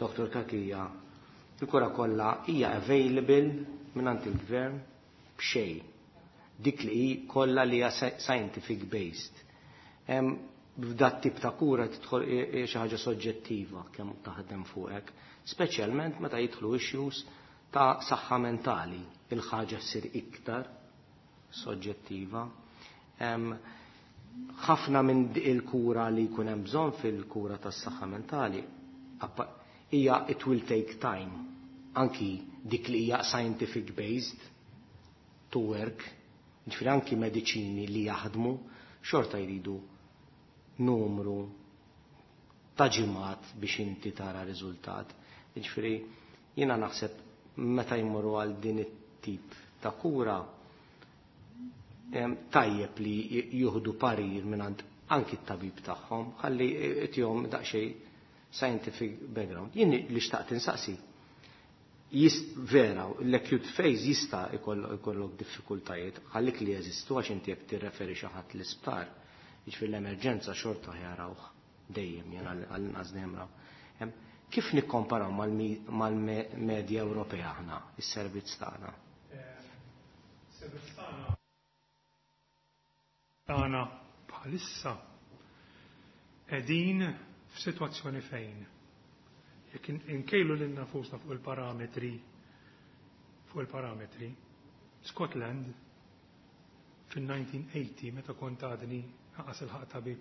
Dr. Cachia, il-kura kollha hija available mingħand il-gvern b'xejn. Dik li hi kollha li hija scientific based. F'dat tip ta' kura tidħol xi ħaġa soġġettiva kemm taħdem fuqek, speċjalment meta jidħlu issues ta' saħħa mentali, il-ħaġa ssir iktar soġġettiva. Ħafna minn il-kura li jkun hemm bżonn fil-kura tas-saħħa mentali hija it will take time, anki dik li hija scientific based to work, ġifieri anki mediċini li jaħdmu xorta jridu numru ta' ġimgħat biex inti tara riżultat. Ġifieri jiena naħseb meta jmorru għal din it-tip ta' kura, tajjeb li jieħdu parir mingħand anki t-tabib tagħhom, ħalli tihom daqsxejn scientific background. Jien li xtaqt insaqsi, vera, l-acute phase jista' jkollok diffikultajiet, ħallik li jeżistu għax inti jekk tirreferi xi ħadd l-isptar, jiġifieri l-emerġenza xorta jarawh dejjem, jien għall-inqas dejjem raw. Kif nikkomparaw mal-medja Ewropea aħna, is-servizz tagħna? Servizz tagħna bħalissa qegħdin f'sitwazzjoni fejn jekk inkejlu lil nafusna fuq il-parametri, Scotland fil-1980 meta kont għadni ħaqas il-ħaq tabib,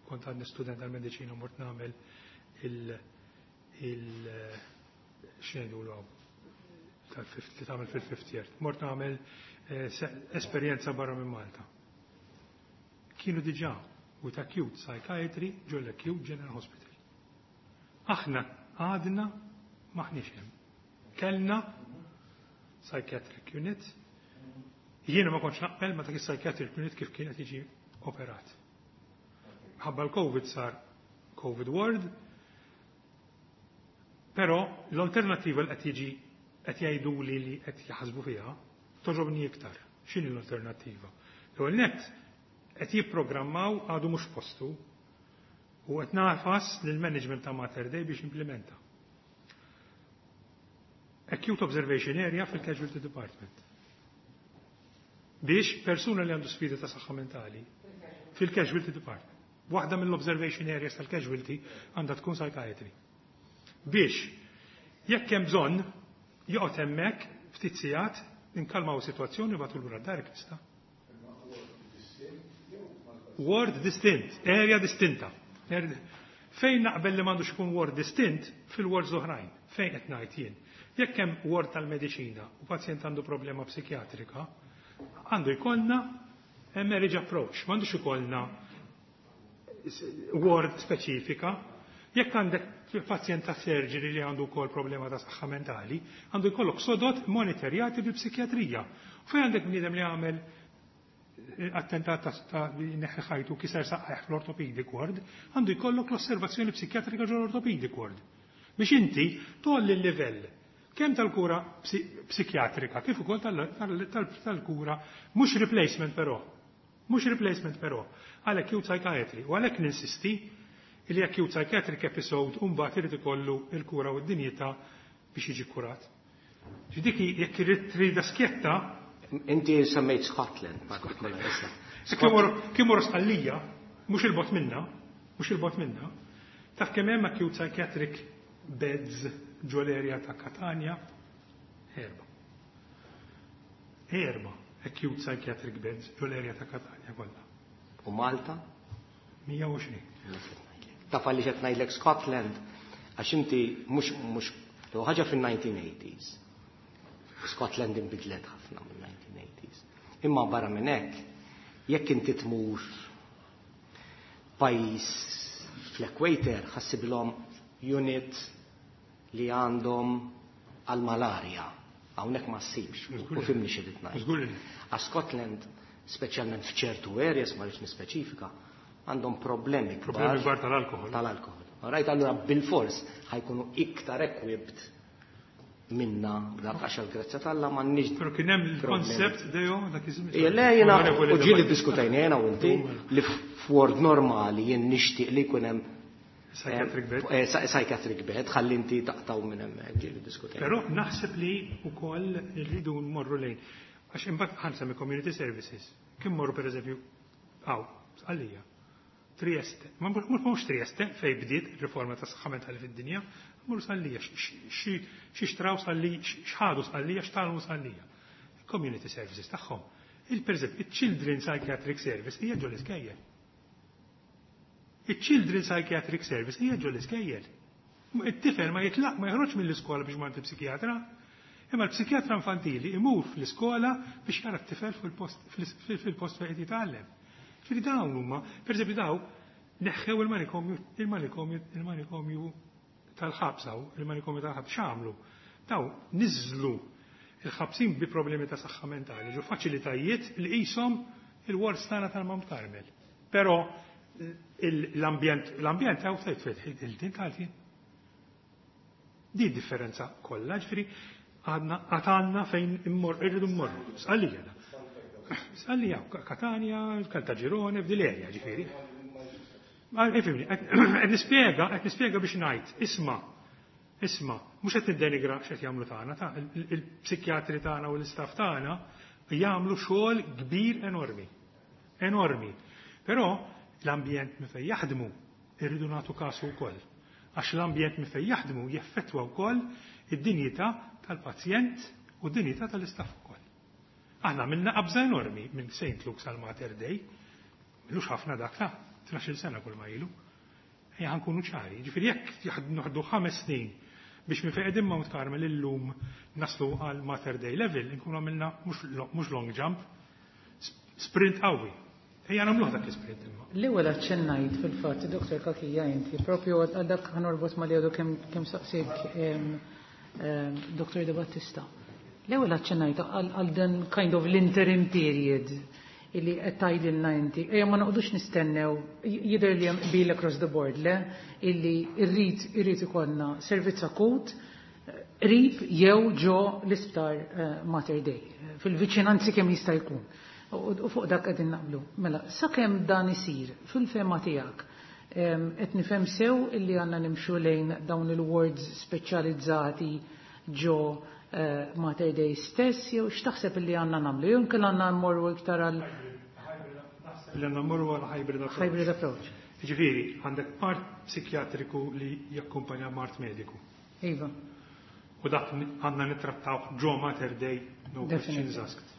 kont għadni student tal-mediċina mort nagħmel il x'ngħidulu hawn, tal-fifth, li tagħmel fil-fifth year. Mort nagħmel esperjenza barra minn Malta. Kienu diġà with acute psychiatry ġol acute general hospital. Aħna għadna maħniex hemm. Kellna psychiatric unit. Jiena ma kontx naqbel ma dak is-psychiatric unit kif kienet jiġi operat. Ħabba l-COVID sar COVID ward, però l-alternativa li qed jiġi qed jgħidu li li qed jaħsbu fiha toġobni iktar. X'inhi l-alternattiva? L-ewwel nett qed jipprogrammaw għadu mhux postu u qed nafas lill-management ta' Mater Dei biex implementa. Acute Observation Area fil-Casualty Department. Biex persuna li għandu sfida ta' saħħa mentali fil-Casualty Department. Waħda mill-observation areas tal-casualty għandha tkun psychiatry. Biex jekk hemm bżonn joqgħod hemmhekk ftit sigħat inkalmaw sitwazzjoni u bagħtu lura d-dar jista'. Ward distint, area distinta. Fejn naqbel li m'għandux ikun ward distint fil-wards oħrajn, fejn qed ngħid jien. Jekk hemm ward tal-mediċina u pazjent għandu problema psikjatrika, għandu jkollna marriage approach, m'għandux ikollna ward speċifika. Jekk għandek pazjent ta' surgery li għandu wkoll problema ta' saħħa mentali, għandu jkollok sodod monitorjati bil-psikjatrija. Fejn għandek bniedem li għamel attentat ta' neħħi ħajtu, kiser saqajh fl-orthopedic ward, għandu jkollok l-osservazzjoni psikjatrika ġol orthopedic ward. Biex inti tgħolli l-livell kemm tal-kura psikjatrika kif ukoll tal-kura, mhux replacement però. Mhux replacement però, għal acute psychiatry. U għalhekk ninsisti li acute psychiatric episode mbagħad irid ikollu il-kura u d-dinjità biex jiġi kurat. Dik jekk irid trida skjetta. Inti semmejt Scotland, partikolari issa. Kien morru Sqallija, mhux il-bogħod minna, mhux il-bogħod minna, taf kemm hemm acute psychiatric beds ġol-area ta' Katania? Erba. Erba acute psychiatric beds ġol-area ta' Katania kollha. U Malta? 120. Taf għaliex qed ngħidlek Scotland, għax inti mhux ħaġa fin-1980s. Scotland inbidlet ħafna mill-1980s. Imma barra minn hekk, jekk inti tmur pajjiż fl-equator, ħa ssibilhom unit li għandhom għal-malarja. Hawnhekk ma ssibx, u fhimtni x'irrid ngħid. Għax Scotland, speċjalment f'ċertu areas, ma rridx nispeċifika, għandhom problemi Problemi kbar tal-alkohol. Tal-alkohol. Right, allura bil-fors ħa jkunu iktar equipped minna dak, għax għal-grazzja t'Alla m'għandniex. Pero kien hemm il-koncept dejjem dak iż-żmien. Ija, le, jiena, u ġieli diskutajna jena u inti li f'ward normali jien nixtieq li jkun hemm Psychiatric bed. Psychiatric bed, ħalli inti taqtaw minn hemmhekk, ġieli diskutajna. Però naħseb li wkoll irridu nmorru lejn. Għax imbagħad ħa nsemmi community services. Kien morru pereżempju hawn, Sqallija. Trieste. Ma mhux Trieste fej bdiet riforma ta' saħħa mentali fid-dinja, morru Sqallija, xi xtraw Sqallija, x'ħadu Sqallija, x'tgħallmu Sqallija. Community services tagħhom. Il-pereżempju, il-Children Psychiatric Service hija ġol iskejjel. Il-Children Psychiatric Service hija ġol iskejjel. It-tifel ma jitlaq, ma joħroġ mill-iskola biex ma psikjatra. Imma l-psikjatra infantili imur fl-iskola biex jara t-tifel fil-post fejn qed jitgħallem. Ġifieri dawn huma, pereżempju, daw neħħew il-manikomju tal-ħabs hawn, il-manikomju tal-ħabs x'għamlu? Daw niżlu il-ħabsin bi problemi ta' saħħa mentali ġo faċilitajiet li qishom il-wards tagħna tal-Mount Carmel. Però l-ambjent għaw tajt il-din tal-tin. Di differenza kollha, ġifieri għadna għatanna fejn immor, irridu mmorru. Sqallija da. Sqallija, Katania, Caltagirone, f'dil-area, ġifieri. Ma, ifhimni, qed nispjega biex ngħid, isma', isma', mhux qed niddenigra x'qed jagħmlu tagħna, ta' il-psikjatri tagħna u l-istaff tagħna jagħmlu xogħol kbir enormi. Enormi. Però l-ambjent minn fejn jaħdmu irridu nagħtu kasu wkoll. Għax l-ambjent minn fejn jaħdmu jeffettwa wkoll id-dinjità tal-pazjent u d-dinjità tal-istaff ukoll. Aħna minna qabża enormi minn St. Luke's għal Mater Dei, m'ilux ħafna dak ta' 12 sena kull ma ilu. Ejja ħa nkunu ċari, ġifieri jekk noħdu 5 snin biex minn fejn qegħdin Mount Carmel illum naslu għal Mater Dei level, nkunu għamilna mhux long jump, sprint qawwi. Ejja nagħmluh dak l-sprint imma. L-ewwel aċċennajt fil-fatt, Dr. Cachia, inti, propju għal dak ħa norbot ma li għadu kemm saqsik Dr. De Battista. L-ewwel aċċennajt għal dan kind of l-interim period illi qed tgħidilna inti. Ejja ma noqgħodux nistennew, jidher li hemm qbil across the board, le, illi irrid ikollna servizz akut qrib jew ġo l-isptar Mater Dei, fil-viċinanzi kemm jista' jkun. U fuq dak qegħdin naqblu. Mela, sakemm dan isir fil-fehma tiegħek, qed nifhem sew illi għandna nimxu lejn dawn il-wards speċjalizzati ġo Mater Dei stess, jew x'taħseb illi għandna nagħmlu? Jew inkella għandna mmorru iktar għal Li għandna mmorru għal hybrid approach. Hybrid approach. Ġifieri, għandek part psikjatriku li jakkumpanja mard mediku. U dak għandna nittrattaw ġo Mater Dei, no questions asked.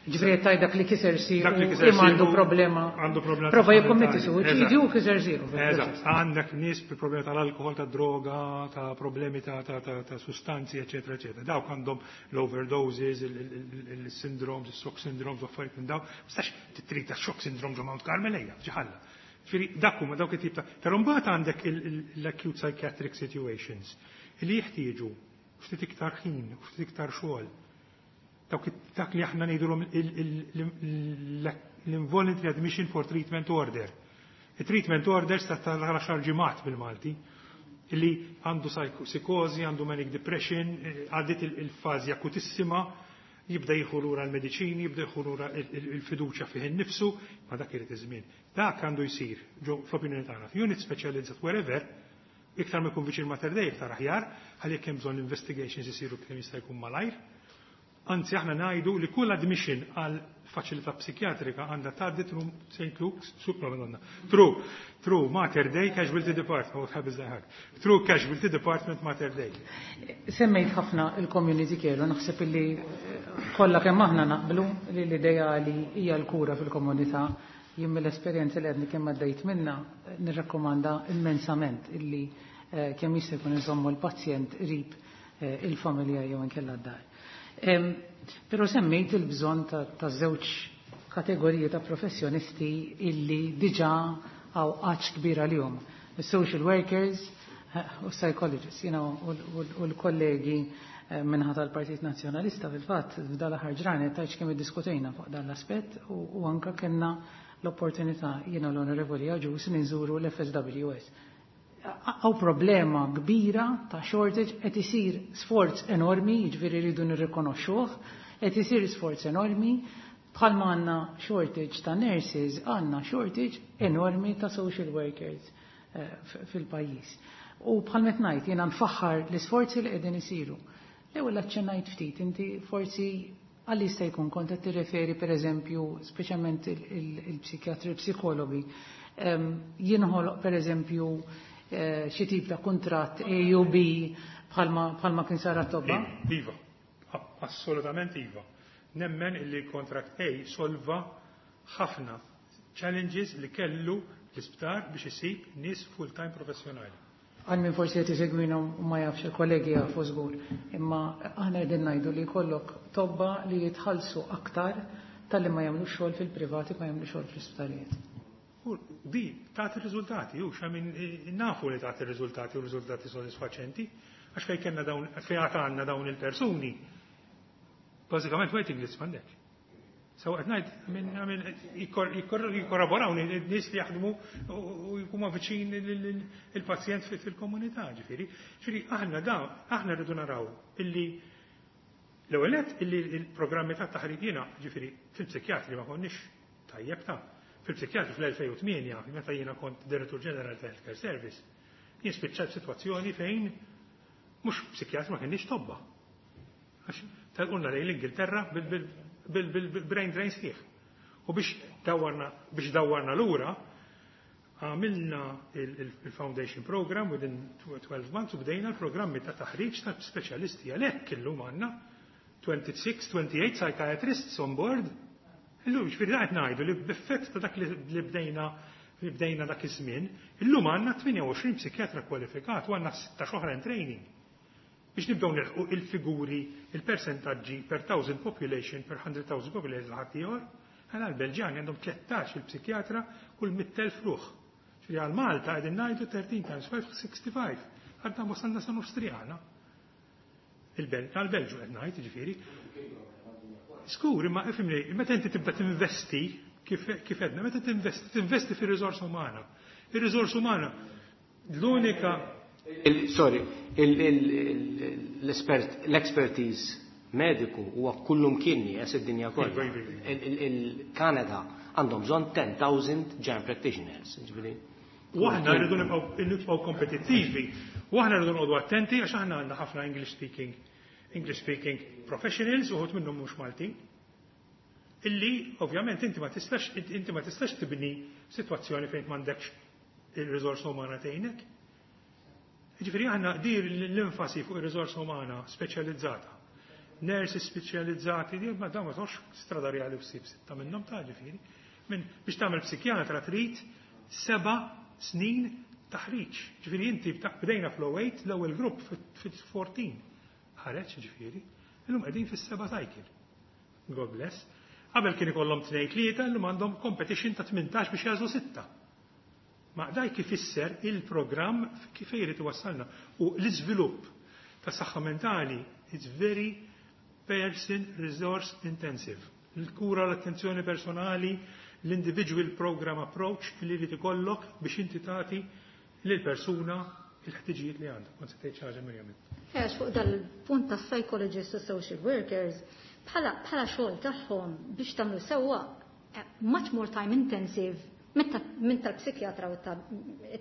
Ġifieri qed dak li kiser siequ Dak li kiser imma għandu siequ, problema. għandu problema Prova ta' jikkommetti mentali. suwiċidju u kiser siequ. Eżatt, għandek nies bi problemi tal-alkohol, ta' droga, ta' problemi ta' sustanzi, eccetera, eccetera. Dawk għandhom l-overdoses, il-syndromes, il-shock syndromes, u affarijiet minn daw. Mistax titrita shock syndrome ġo Mount Carmel ejja, ġiħalla. Ġifieri dak huma dawk it-tip ta'. Però mbagħad għandek l-acute psychiatric situations li jeħtieġu ftit iktar ħin, ftit iktar xogħol. Dak li aħna ngħidulhom l-involuntary admission for treatment order. Il-treatment orders ta' tal-10 ġimgħat bil-Malti, illi għandu psikozi, għandu manic depression, għaddit il-fażi akutissima, jibda jieħu lura l-mediċini, jibda jieħu lura il-fiduċja fih innifsu, ma dak irid iż-żmien. Dak għandu jsir, ġo fl-opinjoni tagħna, unit speċjalizzat wherever, iktar ma jkun viċin Mater Dei, iktar aħjar, għalli jekk hemm bżonn investigations isiru kemm jista' jkun malajr. Anzi, aħna ngħidu li kull admission għal faċilità psikjatrika għandha tgħaddi through St. Luke's, supra Madonna, through Mater Dei Casualty Department, oh, ħabiż daħak, through Casualty Department Mater Dei. Semmejt ħafna il-community care u naħseb illi kollha kemm aħna naqblu li l-ideali hija l-kura fil-komunità. Jien mill-esperjenza li għadni kemm għaddejt minna nirrakkomanda immensament illi kemm jista' jkun iżommu l-pazjent qrib il-familja jew inkella d-dar. Però semmejt il-bżonn ta' żewġ kategoriji ta' professjonisti illi diġà għaw għatx kbir għalihom. Il-social workers u psychologists, u l-kollegi minħata tal-Partit Nazzjonalista fil-fatt f'dal-aħħar ġranet tajċ kemm iddiskutejna fuq dan l-aspett u anka kellna l-opportunità jiena l-Onorevoli Agius li nżuru l-FSWS. Għaw problema kbira ta' shortage, qed isir sforz enormi, jiġifieri rridu nirrikonoxxuh, qed isir sforz enormi, bħalma għandna shortage ta' nurses, għandna shortage enormi ta' social workers fil-pajjiż. U bħalma qed ngħid jiena nfaħħar l-isforzi li qegħdin isiru. L-ewwel aċċennajt ftit, inti forsi għalli jista' jkun kont qed tirreferi pereżempju speċjalment il-psikjatri, il-psikologi, jinħoloq pereżempju xi tip ta' kuntratt A u B bħalma kien sar tobba? Iva, assolutament iva. Nemmen illi contract A solva ħafna challenges li kellu l-isptar biex isib nies full-time professjonali. Għal min forsi qed isegwina u ma jafx il-kollegi jafu żgur, imma aħna qegħdin ngħidu li jkollok tobba li jitħallsu aktar talli ma jagħmlu xogħol fil-privati ma jagħmlu xogħol fl-isptarijiet. U di tagħti riżultati, u xamin nafu li tagħti riżultati u riżultati sodisfaċenti, għax fejn kellna dawn, fejn għad għandna dawn il-persuni, bażikament waiting list m'għandek. So qed ngħid jikkorraborawni n-nies li jaħdmu u jkunu viċin il-pazjent fil-komunità, ġifieri. Ġifieri aħna da, aħna rridu naraw illi l-ewwel nett illi l-programmi ta' taħriġ jiena, ġifieri fil-psikjatri ma konniex tajjeb ta' fil-psikjatri fl-2008, meta jiena kont Direttur Ġenerali ta' Healthcare Service, jien spiċċajt sitwazzjoni fejn mhux psikjatri ma kienx tobba. Għax telqulna lejn l-Ingilterra bil-brain drain sħiħ. U biex dawwarna lura, għamilna il-Foundation Program within 12 months u bdejna l-programmi ta' taħriġ ta' speċjalisti għalhekk illum għandna 26, 28 psychiatrists on board. Illum ġifieri qed ngħidu li b'effett ta' dak li bdejna dak iż-żmien, illum għandna 28 psikjatra kwalifikat u għandna 16 oħra in training. Biex nibdew nilħqu il-figuri, il-percentaġġi per thousand population, per 100,000 population ħadd ieħor, għala l-Belġjani għandhom 13 il-psikjatra kull 100,000 ruħ. Ġifieri għal Malta qegħdin ngħidu 13 times 5, 65. Għadna wasalna sa nofs triqana. Għal-Belġu qed ngħid, ġifieri. Skur, imma ifhimni, meta inti tibda tinvesti, kif edna, meta tinvesti, tinvesti fir-riżorsa umana. Ir-riżorsa umana, l-unika Sorry, l-expertise mediku huwa kullum kien nieqes id-dinja kollha. Iva, iva, iva. Il-Kanada għandhom bżonn 10,000 general practitioners. Ġifieri. U aħna rridu nibqgħu kompetittivi, u aħna rridu noqogħdu attenti għax aħna għandna ħafna English speaking professionals uħud minnhom mhux Maltin. Illi ovvjament inti ma tistax tibni sitwazzjoni fejn m'għandekx il-riżorsa umana tgħinek. Ġifieri aħna dir l-enfasi fuq ir-riżorsa umana speċjalizzata. nurses speċjalizzati, ma dawn ma tox strada reali u ssib sitta minnhom ta' ġifieri. Min biex tagħmel psikjatra trid 7 snin taħriġ. Ġifieri inti bdejna fl-08, l-ewwel grupp fit-14 ħareġ ġifieri, illum qegħdin fis-seba' cycle. God bless. Qabel kien ikollhom tnejn tlieta, illum għandhom competition ta' 18 biex jagħżlu sitta. Ma dak ifisser il-programm kif jrid iwassalna. U l-iżvilupp ta' saħħa mentali, it's very person resource intensive. Il-kura, l-attenzjoni personali, l-individual program approach li jrid ikollok biex inti tagħti lil persuna il-ħtiġijiet li għandha. Kont se tgħid xi ħaġa, Mirjam. Għax fuq dal-punt ta' psychologists u social workers, bħala xogħol tagħhom biex tagħmlu sewwa much more time intensive minn tal-psikjatra u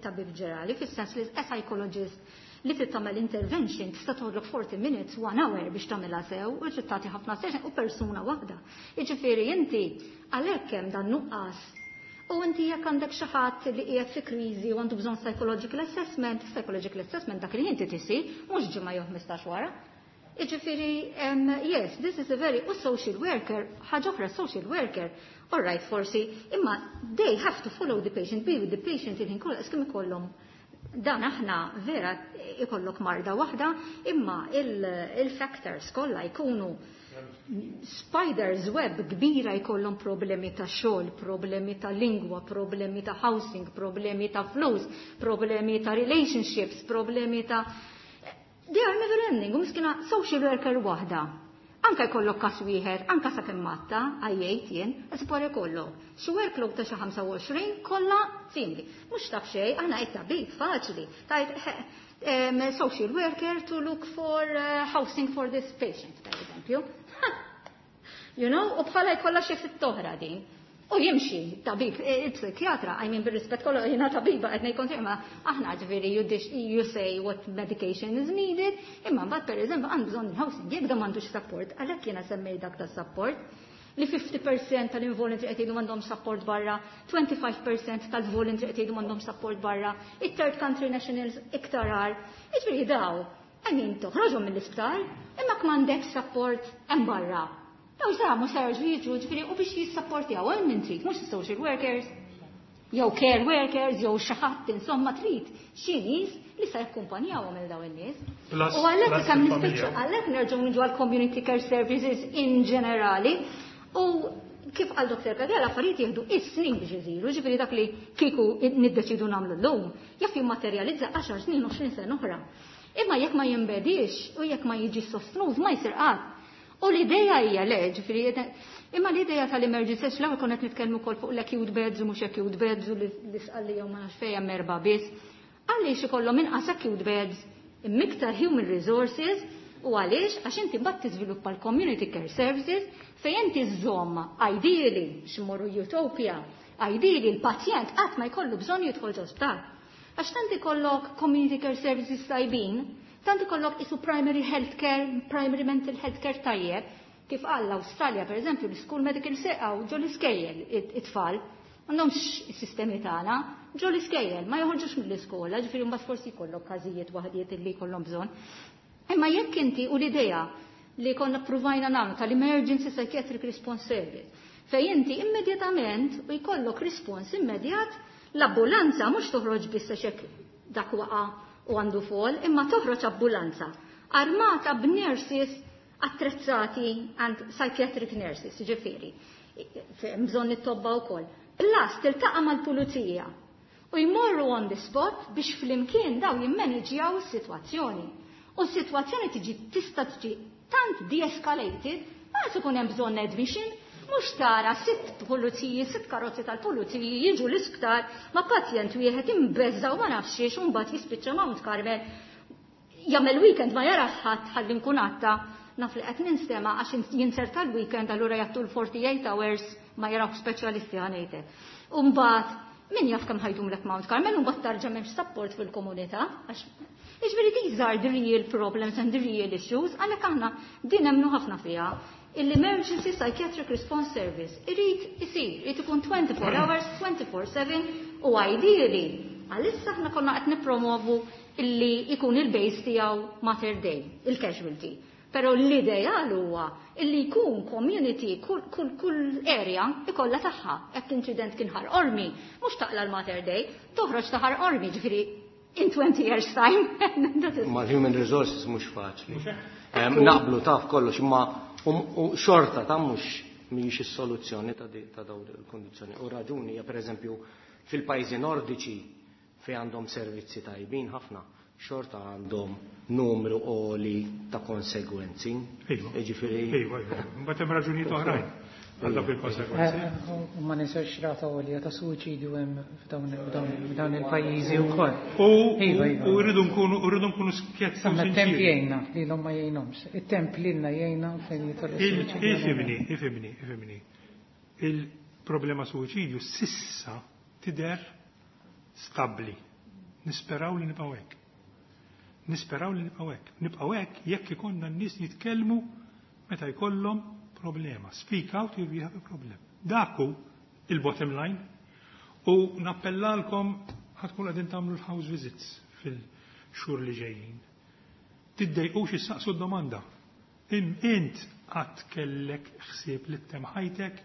tabib ġenerali, fis-sens li a psychologist li trid tagħmel intervention tista' toħodlok 40 minutes, one hour biex tagħmilha sew u trid tagħti ħafna session u persuna waħda. Jiġifieri inti għalhekk hemm dan nuqqas. U inti jekk għandek xi ħadd li qiegħed fi kriżi u għandu bżonn psychological assessment, psychological assessment dak li inti tisir mhux ġimgħa jew 15 wara. Jiġifieri, yes, this is a very, u social worker, ħaġa oħra, social worker, all right, forsi, imma they have to follow the patient, be with the patient il-ħin kollu, kemm ikollhom dan aħna vera ikollok marda waħda, imma il-factors kollha jkunu spiders web kbira, jkollhom problemi ta' xogħol, problemi ta' lingwa, problemi ta' housing, problemi ta' flus, problemi ta' relationships, problemi ta' They are never ending, u miskina social worker waħda. Anka jkollok kas wieħed, anka sa kemm matta, għajjejt jien, esplore jkollok. Xi workload ta' xi 25 kollha simili. Mhux taf xejn, aħna qed tabib faċli. Tajt social worker to look for housing for this patient, per eżempju. U bħala jkollha xi fit toħra din. U jimxi, tabib, il-psikjatra, I mean, bil-rispett kollu, jiena tabiba, qed ngħid imma aħna ġifieri you say what medication is needed, imma mbagħad, per eżempju, għandu bżonn housing, jekk da m'għandux support, għalhekk jiena semmej dak ta' support, li 50% tal-involuntary qed jgħidu m'għandhom support barra, 25% tal-voluntary qed jgħidu m'għandhom support barra, it-third country nationals iktar għar. Jiġifieri daw, I mean, toħroġhom mill-isptar, imma m'għandek support hemm barra. Daw sa mhux se jiġu, ġifieri u biex jissapportjaw hemm min trid, mhux social workers, jew care workers, jew xi ħadd, insomma, trid xi nies li se jakkumpanjawhom il dawn in-nies. U għalhekk kemm nispiċċa, għalhekk nerġgħu niġu għal community care services in ġenerali u kif għal Dr. Kadela, affarijiet jieħdu is-snin biex isiru, ġifieri dak li kieku niddeċidu nagħmlu llum, jaf jimmaterjalizza 10 snin, 20 sena oħra. Imma jekk ma jinbedix u jekk ma jiġi sostnut, ma jsir qatt. U l-ideja hija le, ġifieri, imma l-ideja tal-emergency, l-ewwel konna qed nitkellmu wkoll fuq l-acute beds u mhux acute beds u l-isqalli jew ma nafx fejn hemm erba' biss. Għaliex ikollhom inqas acute beds imma human resources u għaliex? Għax inti mbagħad tiżviluppa l-community care services fejn inti żżomm, ideally, x'morru utopia, ideally l-pazjent qatt ma jkollu bżonn jidħol ġo sptar. Għax tant ikollok community care services tajbin, tant ikollok isu primary health care, primary mental health care tajjeb, kif qal l-Awstralja, per eżempju, l-school medical seqaw ġo l-iskejjel it-tfal, m'għandhomx is-sistemi tagħna, ġo l-iskejjel, ma joħorġux mill-iskola, ġifieri mbagħad forsi jkollok każijiet waħdiet li jkollhom bżonn. Imma jekk inti u l-idea li konna provajna nagħmlu tal-Emergency Psychiatric Response Service, fej inti immedjatament u jkollok respons immedjat, l-ambulanza mhux toħroġ biss għax dak waqa' u għandu fall, imma toħroġ ambulanza armata b'nurses attrezzati and psychiatric nurses, ġifieri, bżonn it-tobba wkoll. Plus tiltaqa' mal-pulizija u jmorru on the spot biex flimkien daw jimmanġjaw is-sitwazzjoni. U s-sitwazzjoni tiġi tista' tiġi tant de-escalated, ma ikun hemm bżonn admission, mhux tara sitt puliziji, sitt karozzi tal-puliziji jiġu l-isptar ma' pazjent wieħed imbeżza u ma nafx xiex u mbagħad jispiċċa Mount Carmel jagħmel weekend ma jarax ħadd. Ħalli nkun għatta naf li qed ninstema' għax jinserta l-weekend, allura jagħtu l-48 hours ma jaraw speċjalisti ħanejtek. Umbagħad min jaf kemm ħajdum lek Mount Carmel u mbagħad tarġa' m'hemmx support fil-komunità għax. Jiġifieri these are the real problems and the real issues, għalhekk aħna din nemmnu ħafna fiha. L-Emergency Psychiatric Response Service irid isir, irid ikun 24 hours, 24/7 u ideally, għalissa aħna konna qed nippromovu illi ikun il-base tiegħu Mater Dei, il-casualty. Però l-ideal huwa illi jkun community, kull area ikollha tagħha. Jekk inċident kien Ħal Qormi, mhux taqla l-Mater Dei, toħroġ ta' Ħal Qormi, ġifieri in 20 years time. Ma human resources mhux faċli. Naqblu taf kollox, imma xorta ta' mhux mhijiex is-soluzzjoni ta' dawn il-kondizzjoni. U raġuni hija, pereżempju, fil-pajjiżi nordiċi fejn għandhom servizzi tajbin ħafna, xorta għandhom numru għoli ta' konsegwenzi. Ġifieri. Iva. Mbagħad hemm raġunijiet oħrajn għal dawk il-konsegwenzi. U ma ninsewx rata għolja ta' suwiċidju hemm f'dawn il-pajjiżi wkoll. U rridu nkunu skjetti. Aħna t-temp jgħinna lilhom ma jgħinhomx. It-temp lilna jgħinna fejn jidħol is-suwiċidju. Ifhimni, ifhimni, ifhimni. Il-problema suwiċidju s'issa tidher stabbli. Nisperaw li nibqgħu hekk. Nisperaw li nibqgħu hekk. Nibqgħu hekk jekk ikollna n-nies jitkellmu meta jkollhom problema. Speak out if you have a problem. Dak hu il-bottom line. U nappellalkom, ħa tkun qegħdin tagħmlu l-house visits fil-xhur li ġejjin. Tiddejqux issaqsu d-domanda. Int qatt kellek ħsieb li ttemm ħajtek?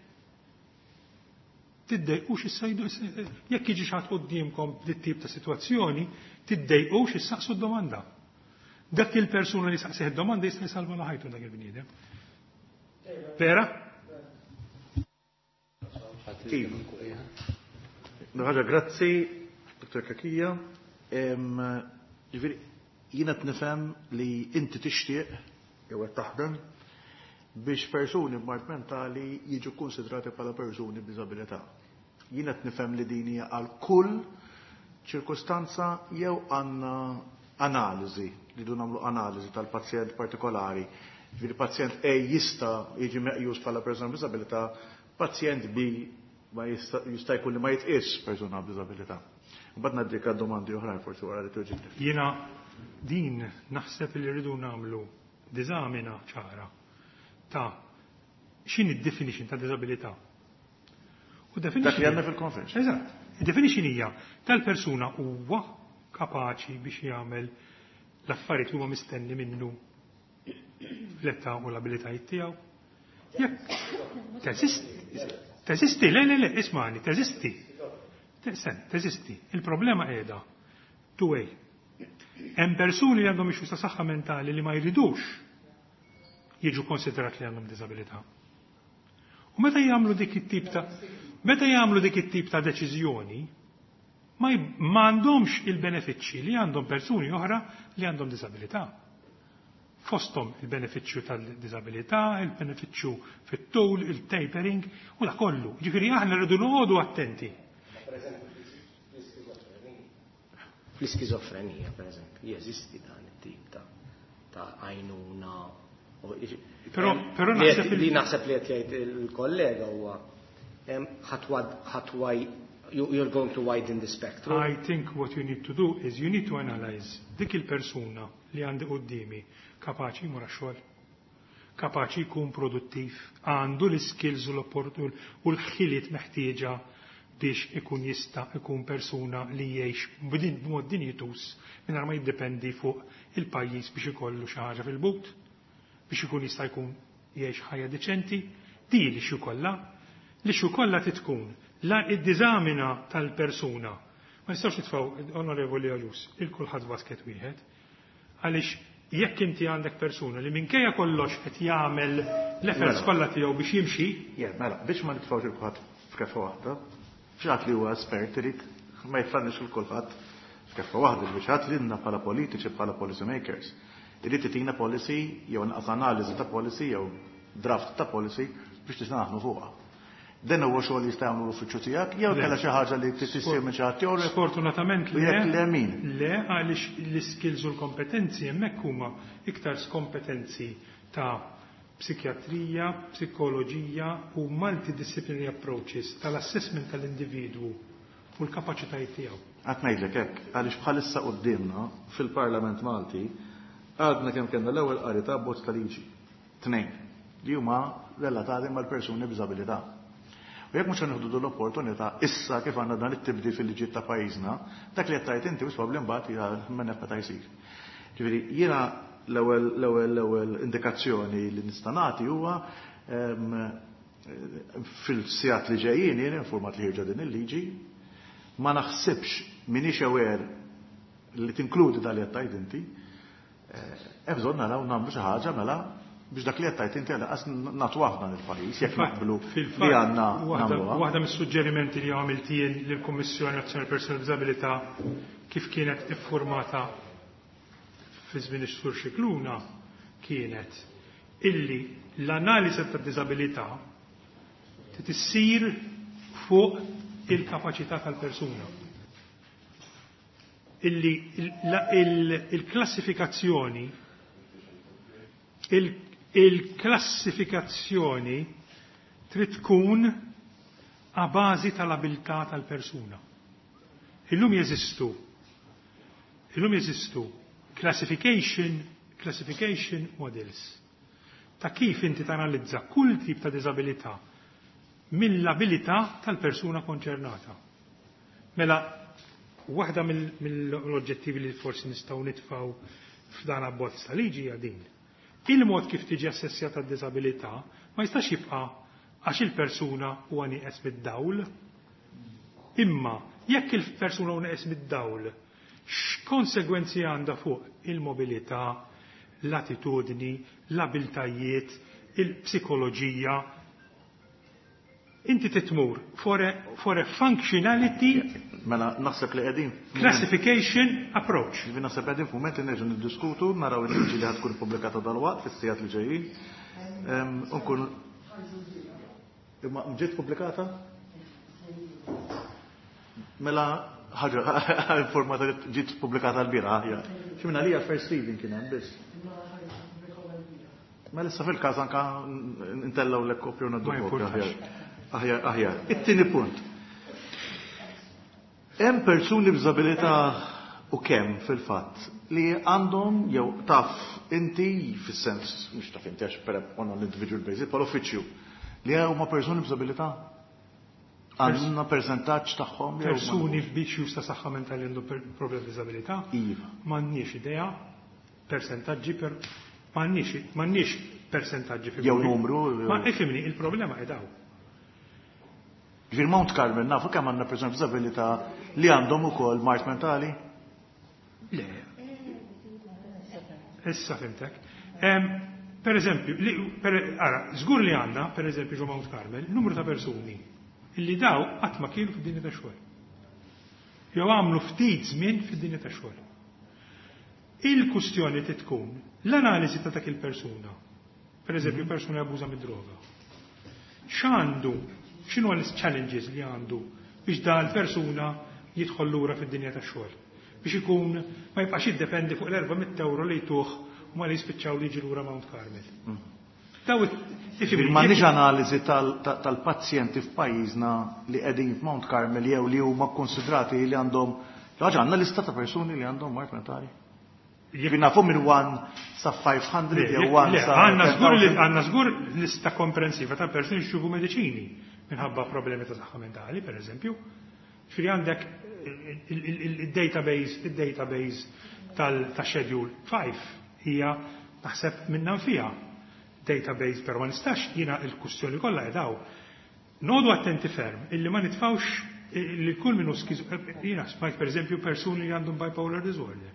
Tiddejqux issajdu, jekk jiġi xi ħadd quddiemkom b'dit tip ta' sitwazzjoni, tiddejqux issaqsu d-domanda. Dak il-persuna li saqsih id-domanda jista' jsalva la ħajtu dak il-bniedem. Vera? Iva. Ħaġa, grazzi, Dr. Cachia. Ġifieri, jiena nifhem li inti tixtieq jew qed taħdem biex persuni b'mard mentali jiġu konsidrati bħala persuni b'diżabilità. Jiena nifhem li din hija għal kull ċirkustanza jew għandna analiżi, li du nagħmlu analiżi tal-pazjent partikolari. Ġifieri pazjent A jista' jiġi meqjus bħala persuna b'diżabilità, pazjent B ma jista' jkun li ma jitqis persuna b'diżabilità. Mbagħad ngħaddik domandi oħrajn forsi wara li tweġibni. Jiena din naħseb li rridu nagħmlu diżamina ċara ta' x'inhi d-definition ta' diżabilità. U definition. Dak li għandna fil-convention. Eżatt. Id-definition hija tal-persuna huwa kapaċi biex jagħmel l-affarijiet li huma mistenni minnu l-età u l-abilitajiet tiegħu. Jekk teżisti, teżisti, le, le, le, ismani, teżisti. Teżisti. Il-problema qiegħda two way. Hemm persuni li għandhom issues ta' saħħa mentali li ma jridux jiġu konsiderat li għandhom diżabilità. U meta jagħmlu dik it-tip ta' deċiżjoni, ma għandhomx il-benefiċċji li għandhom persuni oħra li għandhom diżabilità. Fosthom il-benefiċċju tal-diżabilità, il-benefiċċju fit-tul, il-tapering u da kollu. Ġifieri aħna rridu noqogħdu attenti. Fl-iskizofrenija, per eżempju, jeżisti dan it-tip ta' għajnuna. Però naħseb li naħseb li qed jgħid il-kollega huwa ħatwaj you're going to widen the spectrum. I think what you need to do is you need to analyze dik il-persuna li għandi qoddimi kapaċi jmur għax-xogħol, kapaċi jkun produttiv, għandu l-skills u l-ħiliet meħtieġa biex ikun jista' ikun persuna li jgħix b'mod dinjitus mingħajr ma jiddependi fuq il-pajjiż biex ikollu xi ħaġa fil-but, biex ikun jista' jkun jgħix ħajja deċenti, di li xi kollha, li xi kollha titkun la id-diżamina tal-persuna. Ma nistgħux nitfgħu, Onorevoli Agius, il kulħadd basket wieħed, għaliex jekk inti għandek persuna li minkejja kollox qed jagħmel l-efforts kollha tiegħu biex jimxi. Mela, biex ma nitfgħux il kulħadd f'keffa waħda, xi ħadd li huwa espert irid ma jitfannix il kulħadd f'keffa waħda, biex ħadd lilna bħala politiċi, bħala policy makers, irid titina policy jew nqas analiżi ta' policy jew draft ta' policy biex tista' naħdmu fuqha. Dan huwa xogħol li jista' jagħmlu l-uffiċċju tiegħek jew kellha xi ħaġa li tissir minn xi ħadd ieħor? Sfortunatament le. Jekk le, min? Le, għaliex l-iskills u l-kompetenzi hemmhekk huma iktar kompetenzi ta' psikjatrija, psikoloġija u multidisciplinary approaches tal-assessment tal-individwu u l-kapaċitajiet tiegħu. Qed ngħidlek hekk għaliex bħalissa quddiemna fil-Parlament Malti għadna kemm kellna l-ewwel qari ta' abbozz ta' liġi. Tnejn li huma relatati mal-persuni b'diżabilità. U jekk mhux nieħdu l-opportunità issa kif għandna dan it-tibdil fil-liġijiet ta' pajjiżna, dak li qed tgħid inti wis probabbli mbagħad hija minn meta jsir. Ġifieri jiena L-ewwel indikazzjoni li nista' nagħti huwa fil-sigħat li ġejjin jien informat li ħierġa din il-liġi, ma naħsibx m'iniex aware li tinkludi dal li qed tgħid inti, hemm bżonn naraw nagħmlu xi ħaġa mela biex dak li qed tgħid inti għalqas nagħtuha f'dan il-pajjiż jekk naqblu li għandna nagħmluha. Waħda mis-suġġerimenti li għamilt jien lill-Kummissjoni Nazzjonali Persuni b'Diżabilità kif kienet iffurmata fi żmien ix-Sur Scicluna kienet illi l-analiżi tad-diżabilità trid issir fuq il-kapaċità tal-persuna. Illi il-klassifikazzjoni trid tkun a bażi tal-abilità tal-persuna. Illum jeżistu classification models ta' kif inti tanalizza kull tip ta' diżabilità mill-abilità tal-persuna konċernata. Mela, waħda mill-oġġettivi li forsi nistgħu nitfgħu f'dan abbozz ta' liġi hija din. Il-mod kif tiġi assessjata d-diżabilità ma jistax jibqa' għax il-persuna huwa nieqes mid-dawl. Imma jekk il-persuna huwa nieqes mid-dawl, x'konsegwenzi għandha fuq il-mobilità, l-attitudni, l-abiltajiet, il-psikoloġija? Inti titmur for a functionality Mela naħseb li qegħdin classification approach. Ġifieri naħseb qegħdin f'mument li nerġgħu niddiskutu, naraw il-liġi li ħad tkun pubblikata dalwaqt fis-sigħat li ġejjin. Unkun Imma ġiet pubblikata? Mela ħaġa informata li ġiet pubblikata l-bieraħ aħjar. Xi minn għalija first reading kien hemm biss. Mela issa fil-każ anka ntellgħu l kopju u ngħaddu Ma kopju aħjar. jimpurtax. Aħjar, aħjar. It-tieni punt. Hemm persuni b'diżabilità u kemm fil-fatt li għandhom jew taf inti fis-sens mhux taf inti għax per on an individual basis, bħal uffiċċju li huma persuni b'diżabilità għandna percentaġġ tagħhom jew ma Persuni nafux? b'issues ta' saħħa mentali għandhom problemi b'diżabilità? Iva. M'għandniex idea, persentaġġi per m'għandniex persentaġġi Jew numru, jew- Ma ifhimni, il-problema qed hawn. Ġifieri Mount Carmel nafu kemm għandna persuni b'diżabilità li għandhom ukoll mard mentali? Le. Issa fhimtek. Per eżempju, ara, żgur li għandna, per eżempju, ġo Mount Carmel, numru ta' persuni illi daw qatt ma kienu fid-dinja ta' xogħol. Jew għamlu ftit żmien fid-dinja ta' xogħol. Il-kustjoni tkun l-analiżi ta' dak il-persuna. Per eżempju, persuna abbuża mid-droga. X'għandu, x'inhu l-challenges li għandu biex da l-persuna jidħol lura fid-dinja ta' xogħol. Biex ikun ma jibqax jiddependi fuq l-400 euro li jtuh u ma li jispiċċaw li jiġi lura Mount Carmel. Daw Ġifieri m'għandniex analiżi tal-pazjenti f'pajjiżna li qegħdin f'Mount Carmel jew li huma kkonsidrati li għandhom ħaġa, għandna lista ta' persuni li għandhom mard mentali. Ġifieri nafu minn 1 sa 500 jew 1 Le, sa għandna żgur li 10,000. Għandna żgur lista komprensiva ta' persuni xjubu mediċini minħabba problemi ta' saħħa mentali, per eżempju. Ġifieri għandek il-database ta' Schedule 5 hija naħseb minna fiha database, però ma nistax jiena il-kustjoni kollha qedaw. Noqogħdu attenti ferm illi ma nitfawx li kull minnu skizo, jiena smajt per eżempju persuni li għandhom bipolar disorder.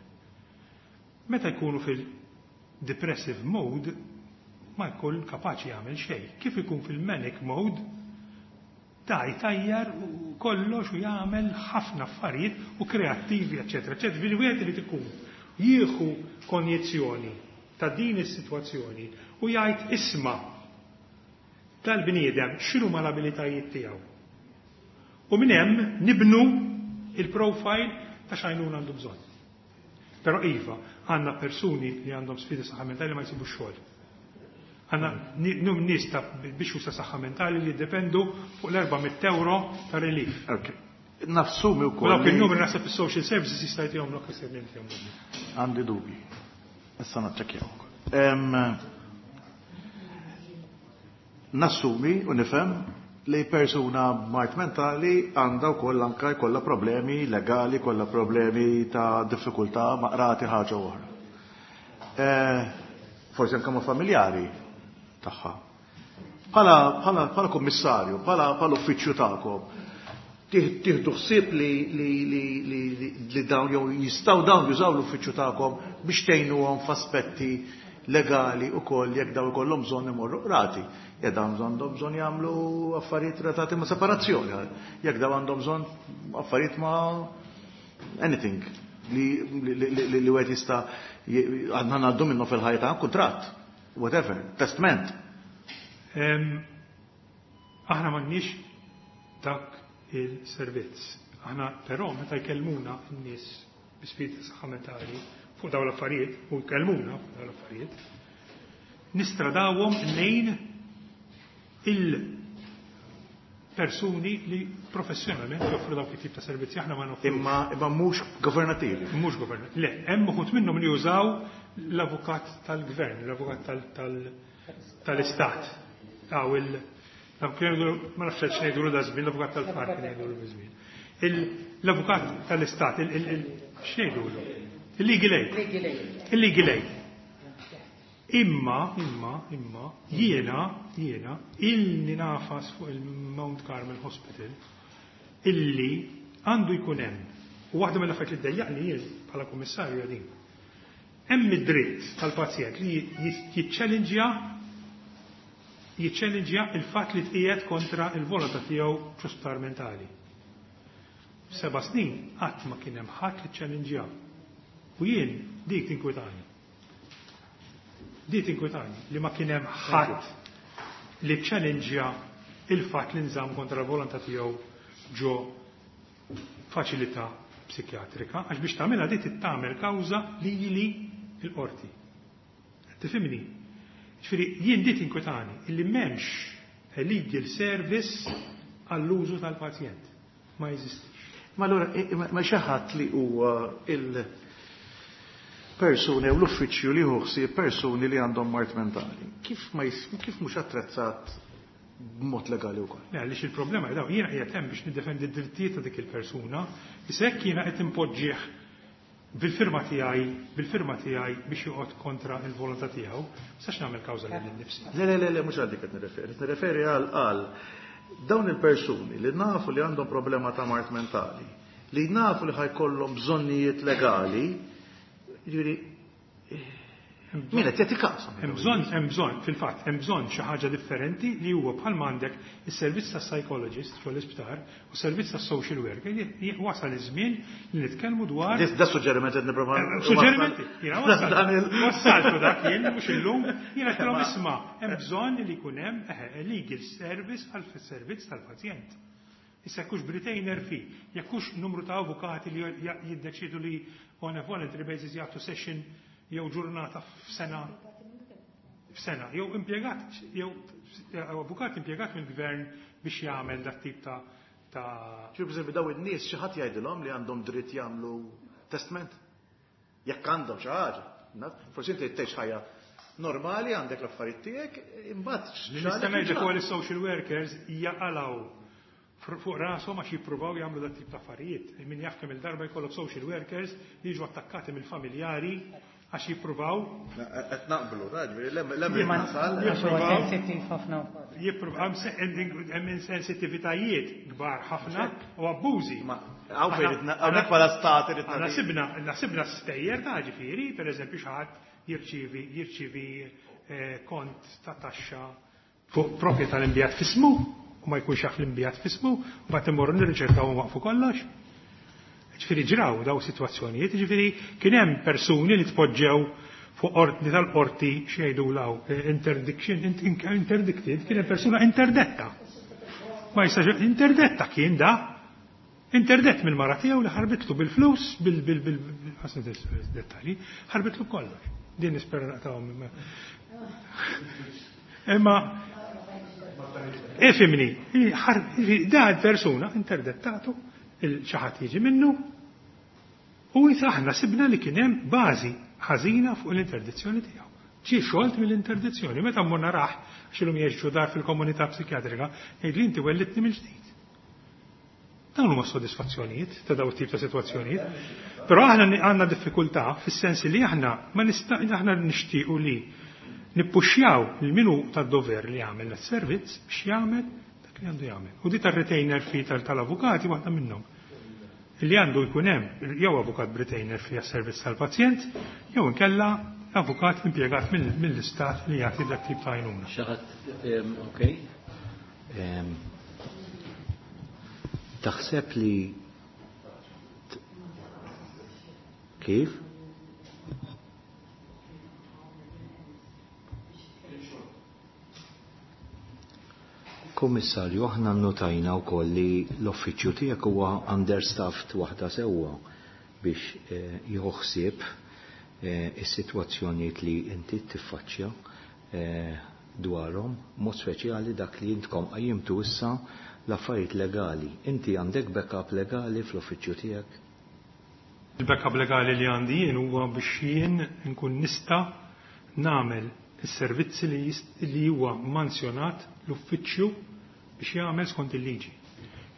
Meta jkunu fil-depressive mode ma jkun kapaċi jagħmel xejn. Kif ikun fil-manic mode da jtajjar u kollox u jagħmel ħafna affarijiet u kreattivi, eċetera, eċetera. Ġifieri wieħed irid ikun jieħu konjizzjoni ta' din is-sitwazzjoni u jgħid isma' tal-bniedem x'inhu ma l-abilitajiet tiegħu. U minn hemm nibnu il-profile ta' x'għajnuna għandu bżonn. Però iva, għandna persuni li għandhom sfidi saħħa mentali ma jsibu xogħol. Għandna nies ta' biex ta' saħħa mentali li jiddependu fuq l-400 euro ta' relief. Ok. Nassumi U wkoll. dawk il-numri naħseb is-social services jista' jtihom lok isir jtihom. Għandi dubji. Issa naċċekkjaw ukoll. Nassumi u nifhem li persuna b'mard mentali għandha wkoll anka jkollha problemi legali, kollha problemi ta' diffikultà ma' qrati ħaġa oħra. Forsi anke ma' familjari tagħha. Bħala kummissarju, bħala uffiċċju tagħkom, tieħdu ħsieb li dawn jew jistgħu dawn jużaw l-uffiċċju tagħkom biex tgħinuhom f'aspetti legali wkoll jekk dawn ikollhom bżonn imorru qrati. Jekk dawn għandhom bżonn jagħmlu affarijiet relatati ma' separazzjoni, jekk dawn għandhom bżonn affarijiet ma' anything li wieħed jista' għandna ngħaddu minnu fil-ħajja ta' kuntratt, whatever, testament. Aħna m'għandniex dak il-servizz. Aħna però meta jkellmuna n-nies bi sfidi ta' saħħa mentali fuq dawn l-affarijiet, u jkellmuna fuq dawn l-affarijiet, nistradawhom lejn il-persuni li professjonalment joffru dawk it-tip ta' servizzi. Aħna ma noffrux. Imma mhux governattivi. Mhux governattivi. Le, hemm uħud minnhom li jużaw l-avukat tal-gvern, l-avukat tal-istat. Aw il ma nafx x'ngħidulu da żmien, l-avukat tal-far kien jgħidulu biż-żmien. L-avukat tal-istat, x'ngħidulu? Il-legal aid. Il-legal aid. Imma, jiena, ilni nafas fuq il-Mount Carmel Hospital illi għandu jkun hemm. U waħda mill-affarijiet li ddejjaqni jien bħala kummissarju din. Hemm id-dritt tal-pazjent li jiċċellinġja il-fatt li tqiegħed kontra il-volontà tiegħu ġo mentali. 7 snin qatt ma kien hemm ħadd li ċċellinġja. U jien dik tinkwitani. Dik tinkwitani li ma kien hemm ħadd li ċċellinġja il-fatt li nżamm kontra l-volontà tiegħu ġo faċilità psikjatrika, għax biex tagħmilha di tagħmel kawża lili l-qorti. Tifhimni? Ġifieri jien di tinkwitani illi m'hemmx legal service għall-użu tal-pazjent. Ma jeżistix. Ma allura ma xi ħadd li huwa il-persuni u l-uffiċċju li hu ħsieb persuni li għandhom mard mentali. Kif mhux attrezzat b'mod legali wkoll? Le, għaliex il-problema daw jiena qiegħed hemm biex niddefendi d-drittijiet ta' dik il-persuna, issa jekk jiena qed impoġġih bil-firma tiegħi biex joqgħod kontra il-volontà tiegħu, sax nagħmel kawża lil innifsi. Le, le, le, le, mhux għal dik qed nirreferi, qed nirreferi għal dawn il-persuni li nafu li għandhom problema ta' mard mentali, li nafu li ħajkollhom bżonnijiet legali, jiġifieri min qed jagħti każ? Hemm bżonn, hemm bżonn, fil-fatt, hemm bżonn xi ħaġa differenti li huwa bħalma għandek is-servizz tas-psychologist fuq l-isptar u s-servizz tas-social worker. Wasal iż-żmien li nitkellmu dwar Da suġġeriment qed nipprova Suġġerimenti. Jiena wassaltu dak jien mhux illum, jiena qed isma' hemm bżonn li jkun hemm legal service għal servizz tal-pazjent. Issa jekkux b'retainer fee, jekkux numru ta' avukati li jiddeċidu li on a voluntary basis jagħtu session jew ġurnata f'sena, jew impjegat, jew avukat impjegat mill-gvern biex jagħmel dak tip ta' Ġifieri pereżempju daw in-nies xi ħadd jgħidilhom li għandhom dritt jagħmlu testament. Jekk għandhom xi ħaġa, forsi inti tgħix ħajja normali għandek l-affarijiet tiegħek, imbagħad Nista' ngħidlek ukoll is-social workers jaqalgħu fuq rashom għax jippruvaw jagħmlu dak tip ta' affarijiet. Min jaf kemm il-darba jkollok social workers li jiġu attakkati mill-familjari għax jippruvaw. Qed naqblu, raġel, lem nasal. Jippruvaw. Sensittiv ħafna. Jippruvaw, hemm insensitivitajiet kbar ħafna u abbużi. Ma hawn fejn hawnhekk bħala stat irid Aħna sibna stejjer ta' ġifieri, pereżempju xi ħadd jirċievi kont ta' taxxa fuq proprjetà l-imbjat fismu u ma jkunx jaf l-imbjat fismu, u mbagħad imorru nirriċerkaw u waqfu kollox. Ġifieri ġraw daw sitwazzjonijiet, ġifieri kien hemm persuni li tpoġġew fuq ordni tal-qorti xejdu law interdiction, interdicted, kien hemm persuna interdetta. Ma jistax interdetta kien da. Interdett mill-mara tiegħu li ħarbitlu bil-flus, bil, dettalji, ħarbitlu kollox. Din nispera naqtawhom. Imma ifimni, da l-persuna interdettatu, xi ħadd jiġi minnu, u aħna sibna li kien hemm bażi ħażina fuq l-interdizzjoni tiegħu. Ġie xolt mill-interdizzjoni, meta mmur narah x'ilhom jgħixu dar fil-komunità psikjatrika, jgħid li inti wellitni mill-ġdid. Dawn huma sodisfazzjonijiet ta' dawn it-tip ta' sitwazzjonijiet. Però aħna għandna diffikultà fis-sens li aħna ma nista' aħna nixtiequ li nippuxxjaw lil min hu tad-dover li jagħmel das-servizz biex jagħmel dak li għandu jagħmel. U di tar-retainer fee tal-avukati waħda minnhom. Li għandu jkun hemm jew avukat b'retainer fee għas-servizz tal-pazjent jew inkella avukat impjegat mill-istat li jagħti dak tip ta' għajnuna. Xi ħadd okej. Taħseb li kif? Kummissarju, aħna nnotajna wkoll li l-uffiċċju tiegħek huwa understaffed waħda sewwa biex eh, jieħu ħsieb eh, is-sitwazzjonijiet li inti tiffaċċja eh, dwarhom, mod speċjali dak li intkom qajjimtu issa l-affarijiet legali. Inti għandek backup legali fl-uffiċċju tiegħek? Il-backup legali li għandi jien huwa biex jien nkun nista' nagħmel is-servizzi li huwa manzjonat l-uffiċċju biex jagħmel skont il-liġi.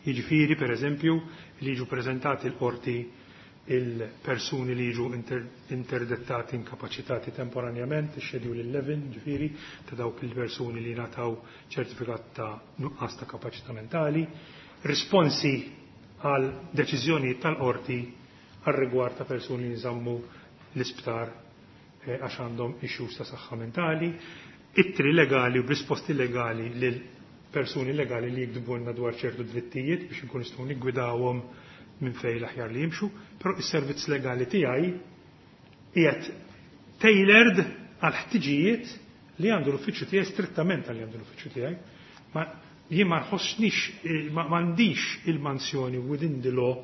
Jiġifieri pereżempju li jiġu preżentati l-qorti il-persuni li jiġu interdettati inkapaċitati temporanjament, il-Schedule 11, ġifieri, ta' dawk il-persuni li nataw ċertifikat ta' nuqqas ta' kapaċità mentali, risponsi għal deċiżjonijiet tal-qorti għal rigward ta' persuni li nżammu l-isptar għax għandhom issues ta' saħħa mentali, ittri legali u risposti legali lil persuni legali li jiktbulna dwar ċertu drittijiet biex nkun nistgħu niggwidawhom minn fejn l-aħjar li jimxu, però is-servizz legali tiegħi qiegħed tailored għal ħtiġijiet li għandu l-uffiċċju tiegħi strettament għal li għandu l-uffiċċju tiegħi. Ma jien ma nħossnix m'għandix il-mansjoni within the law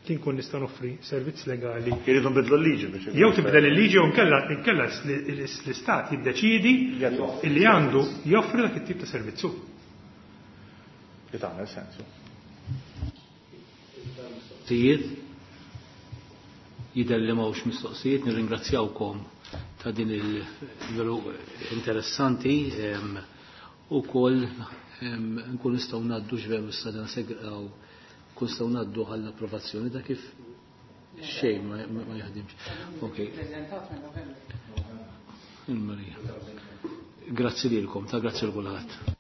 li nkun nista' noffri servizz legali. Irridu nbidlu l-liġi biex. Jew tibdel il-liġi jew nkella inkella l-istat jiddeċidi li għandu joffri dak it-tip ta' servizzu. Li tagħmel sensu. Mistoqsijiet? Jidher li m'hawnx mistoqsijiet, nirringrazzjawkom ta' din il-veru interessanti u koll nkun nistgħu ngħaddu x'veru issa dan segraw nkun nistgħu ngħaddu għall-approvazzjoni da kif xejn ma jaħdimx. Okej. Il-Marija. Grazzi lilkom, ta' grazzi l kulħadd.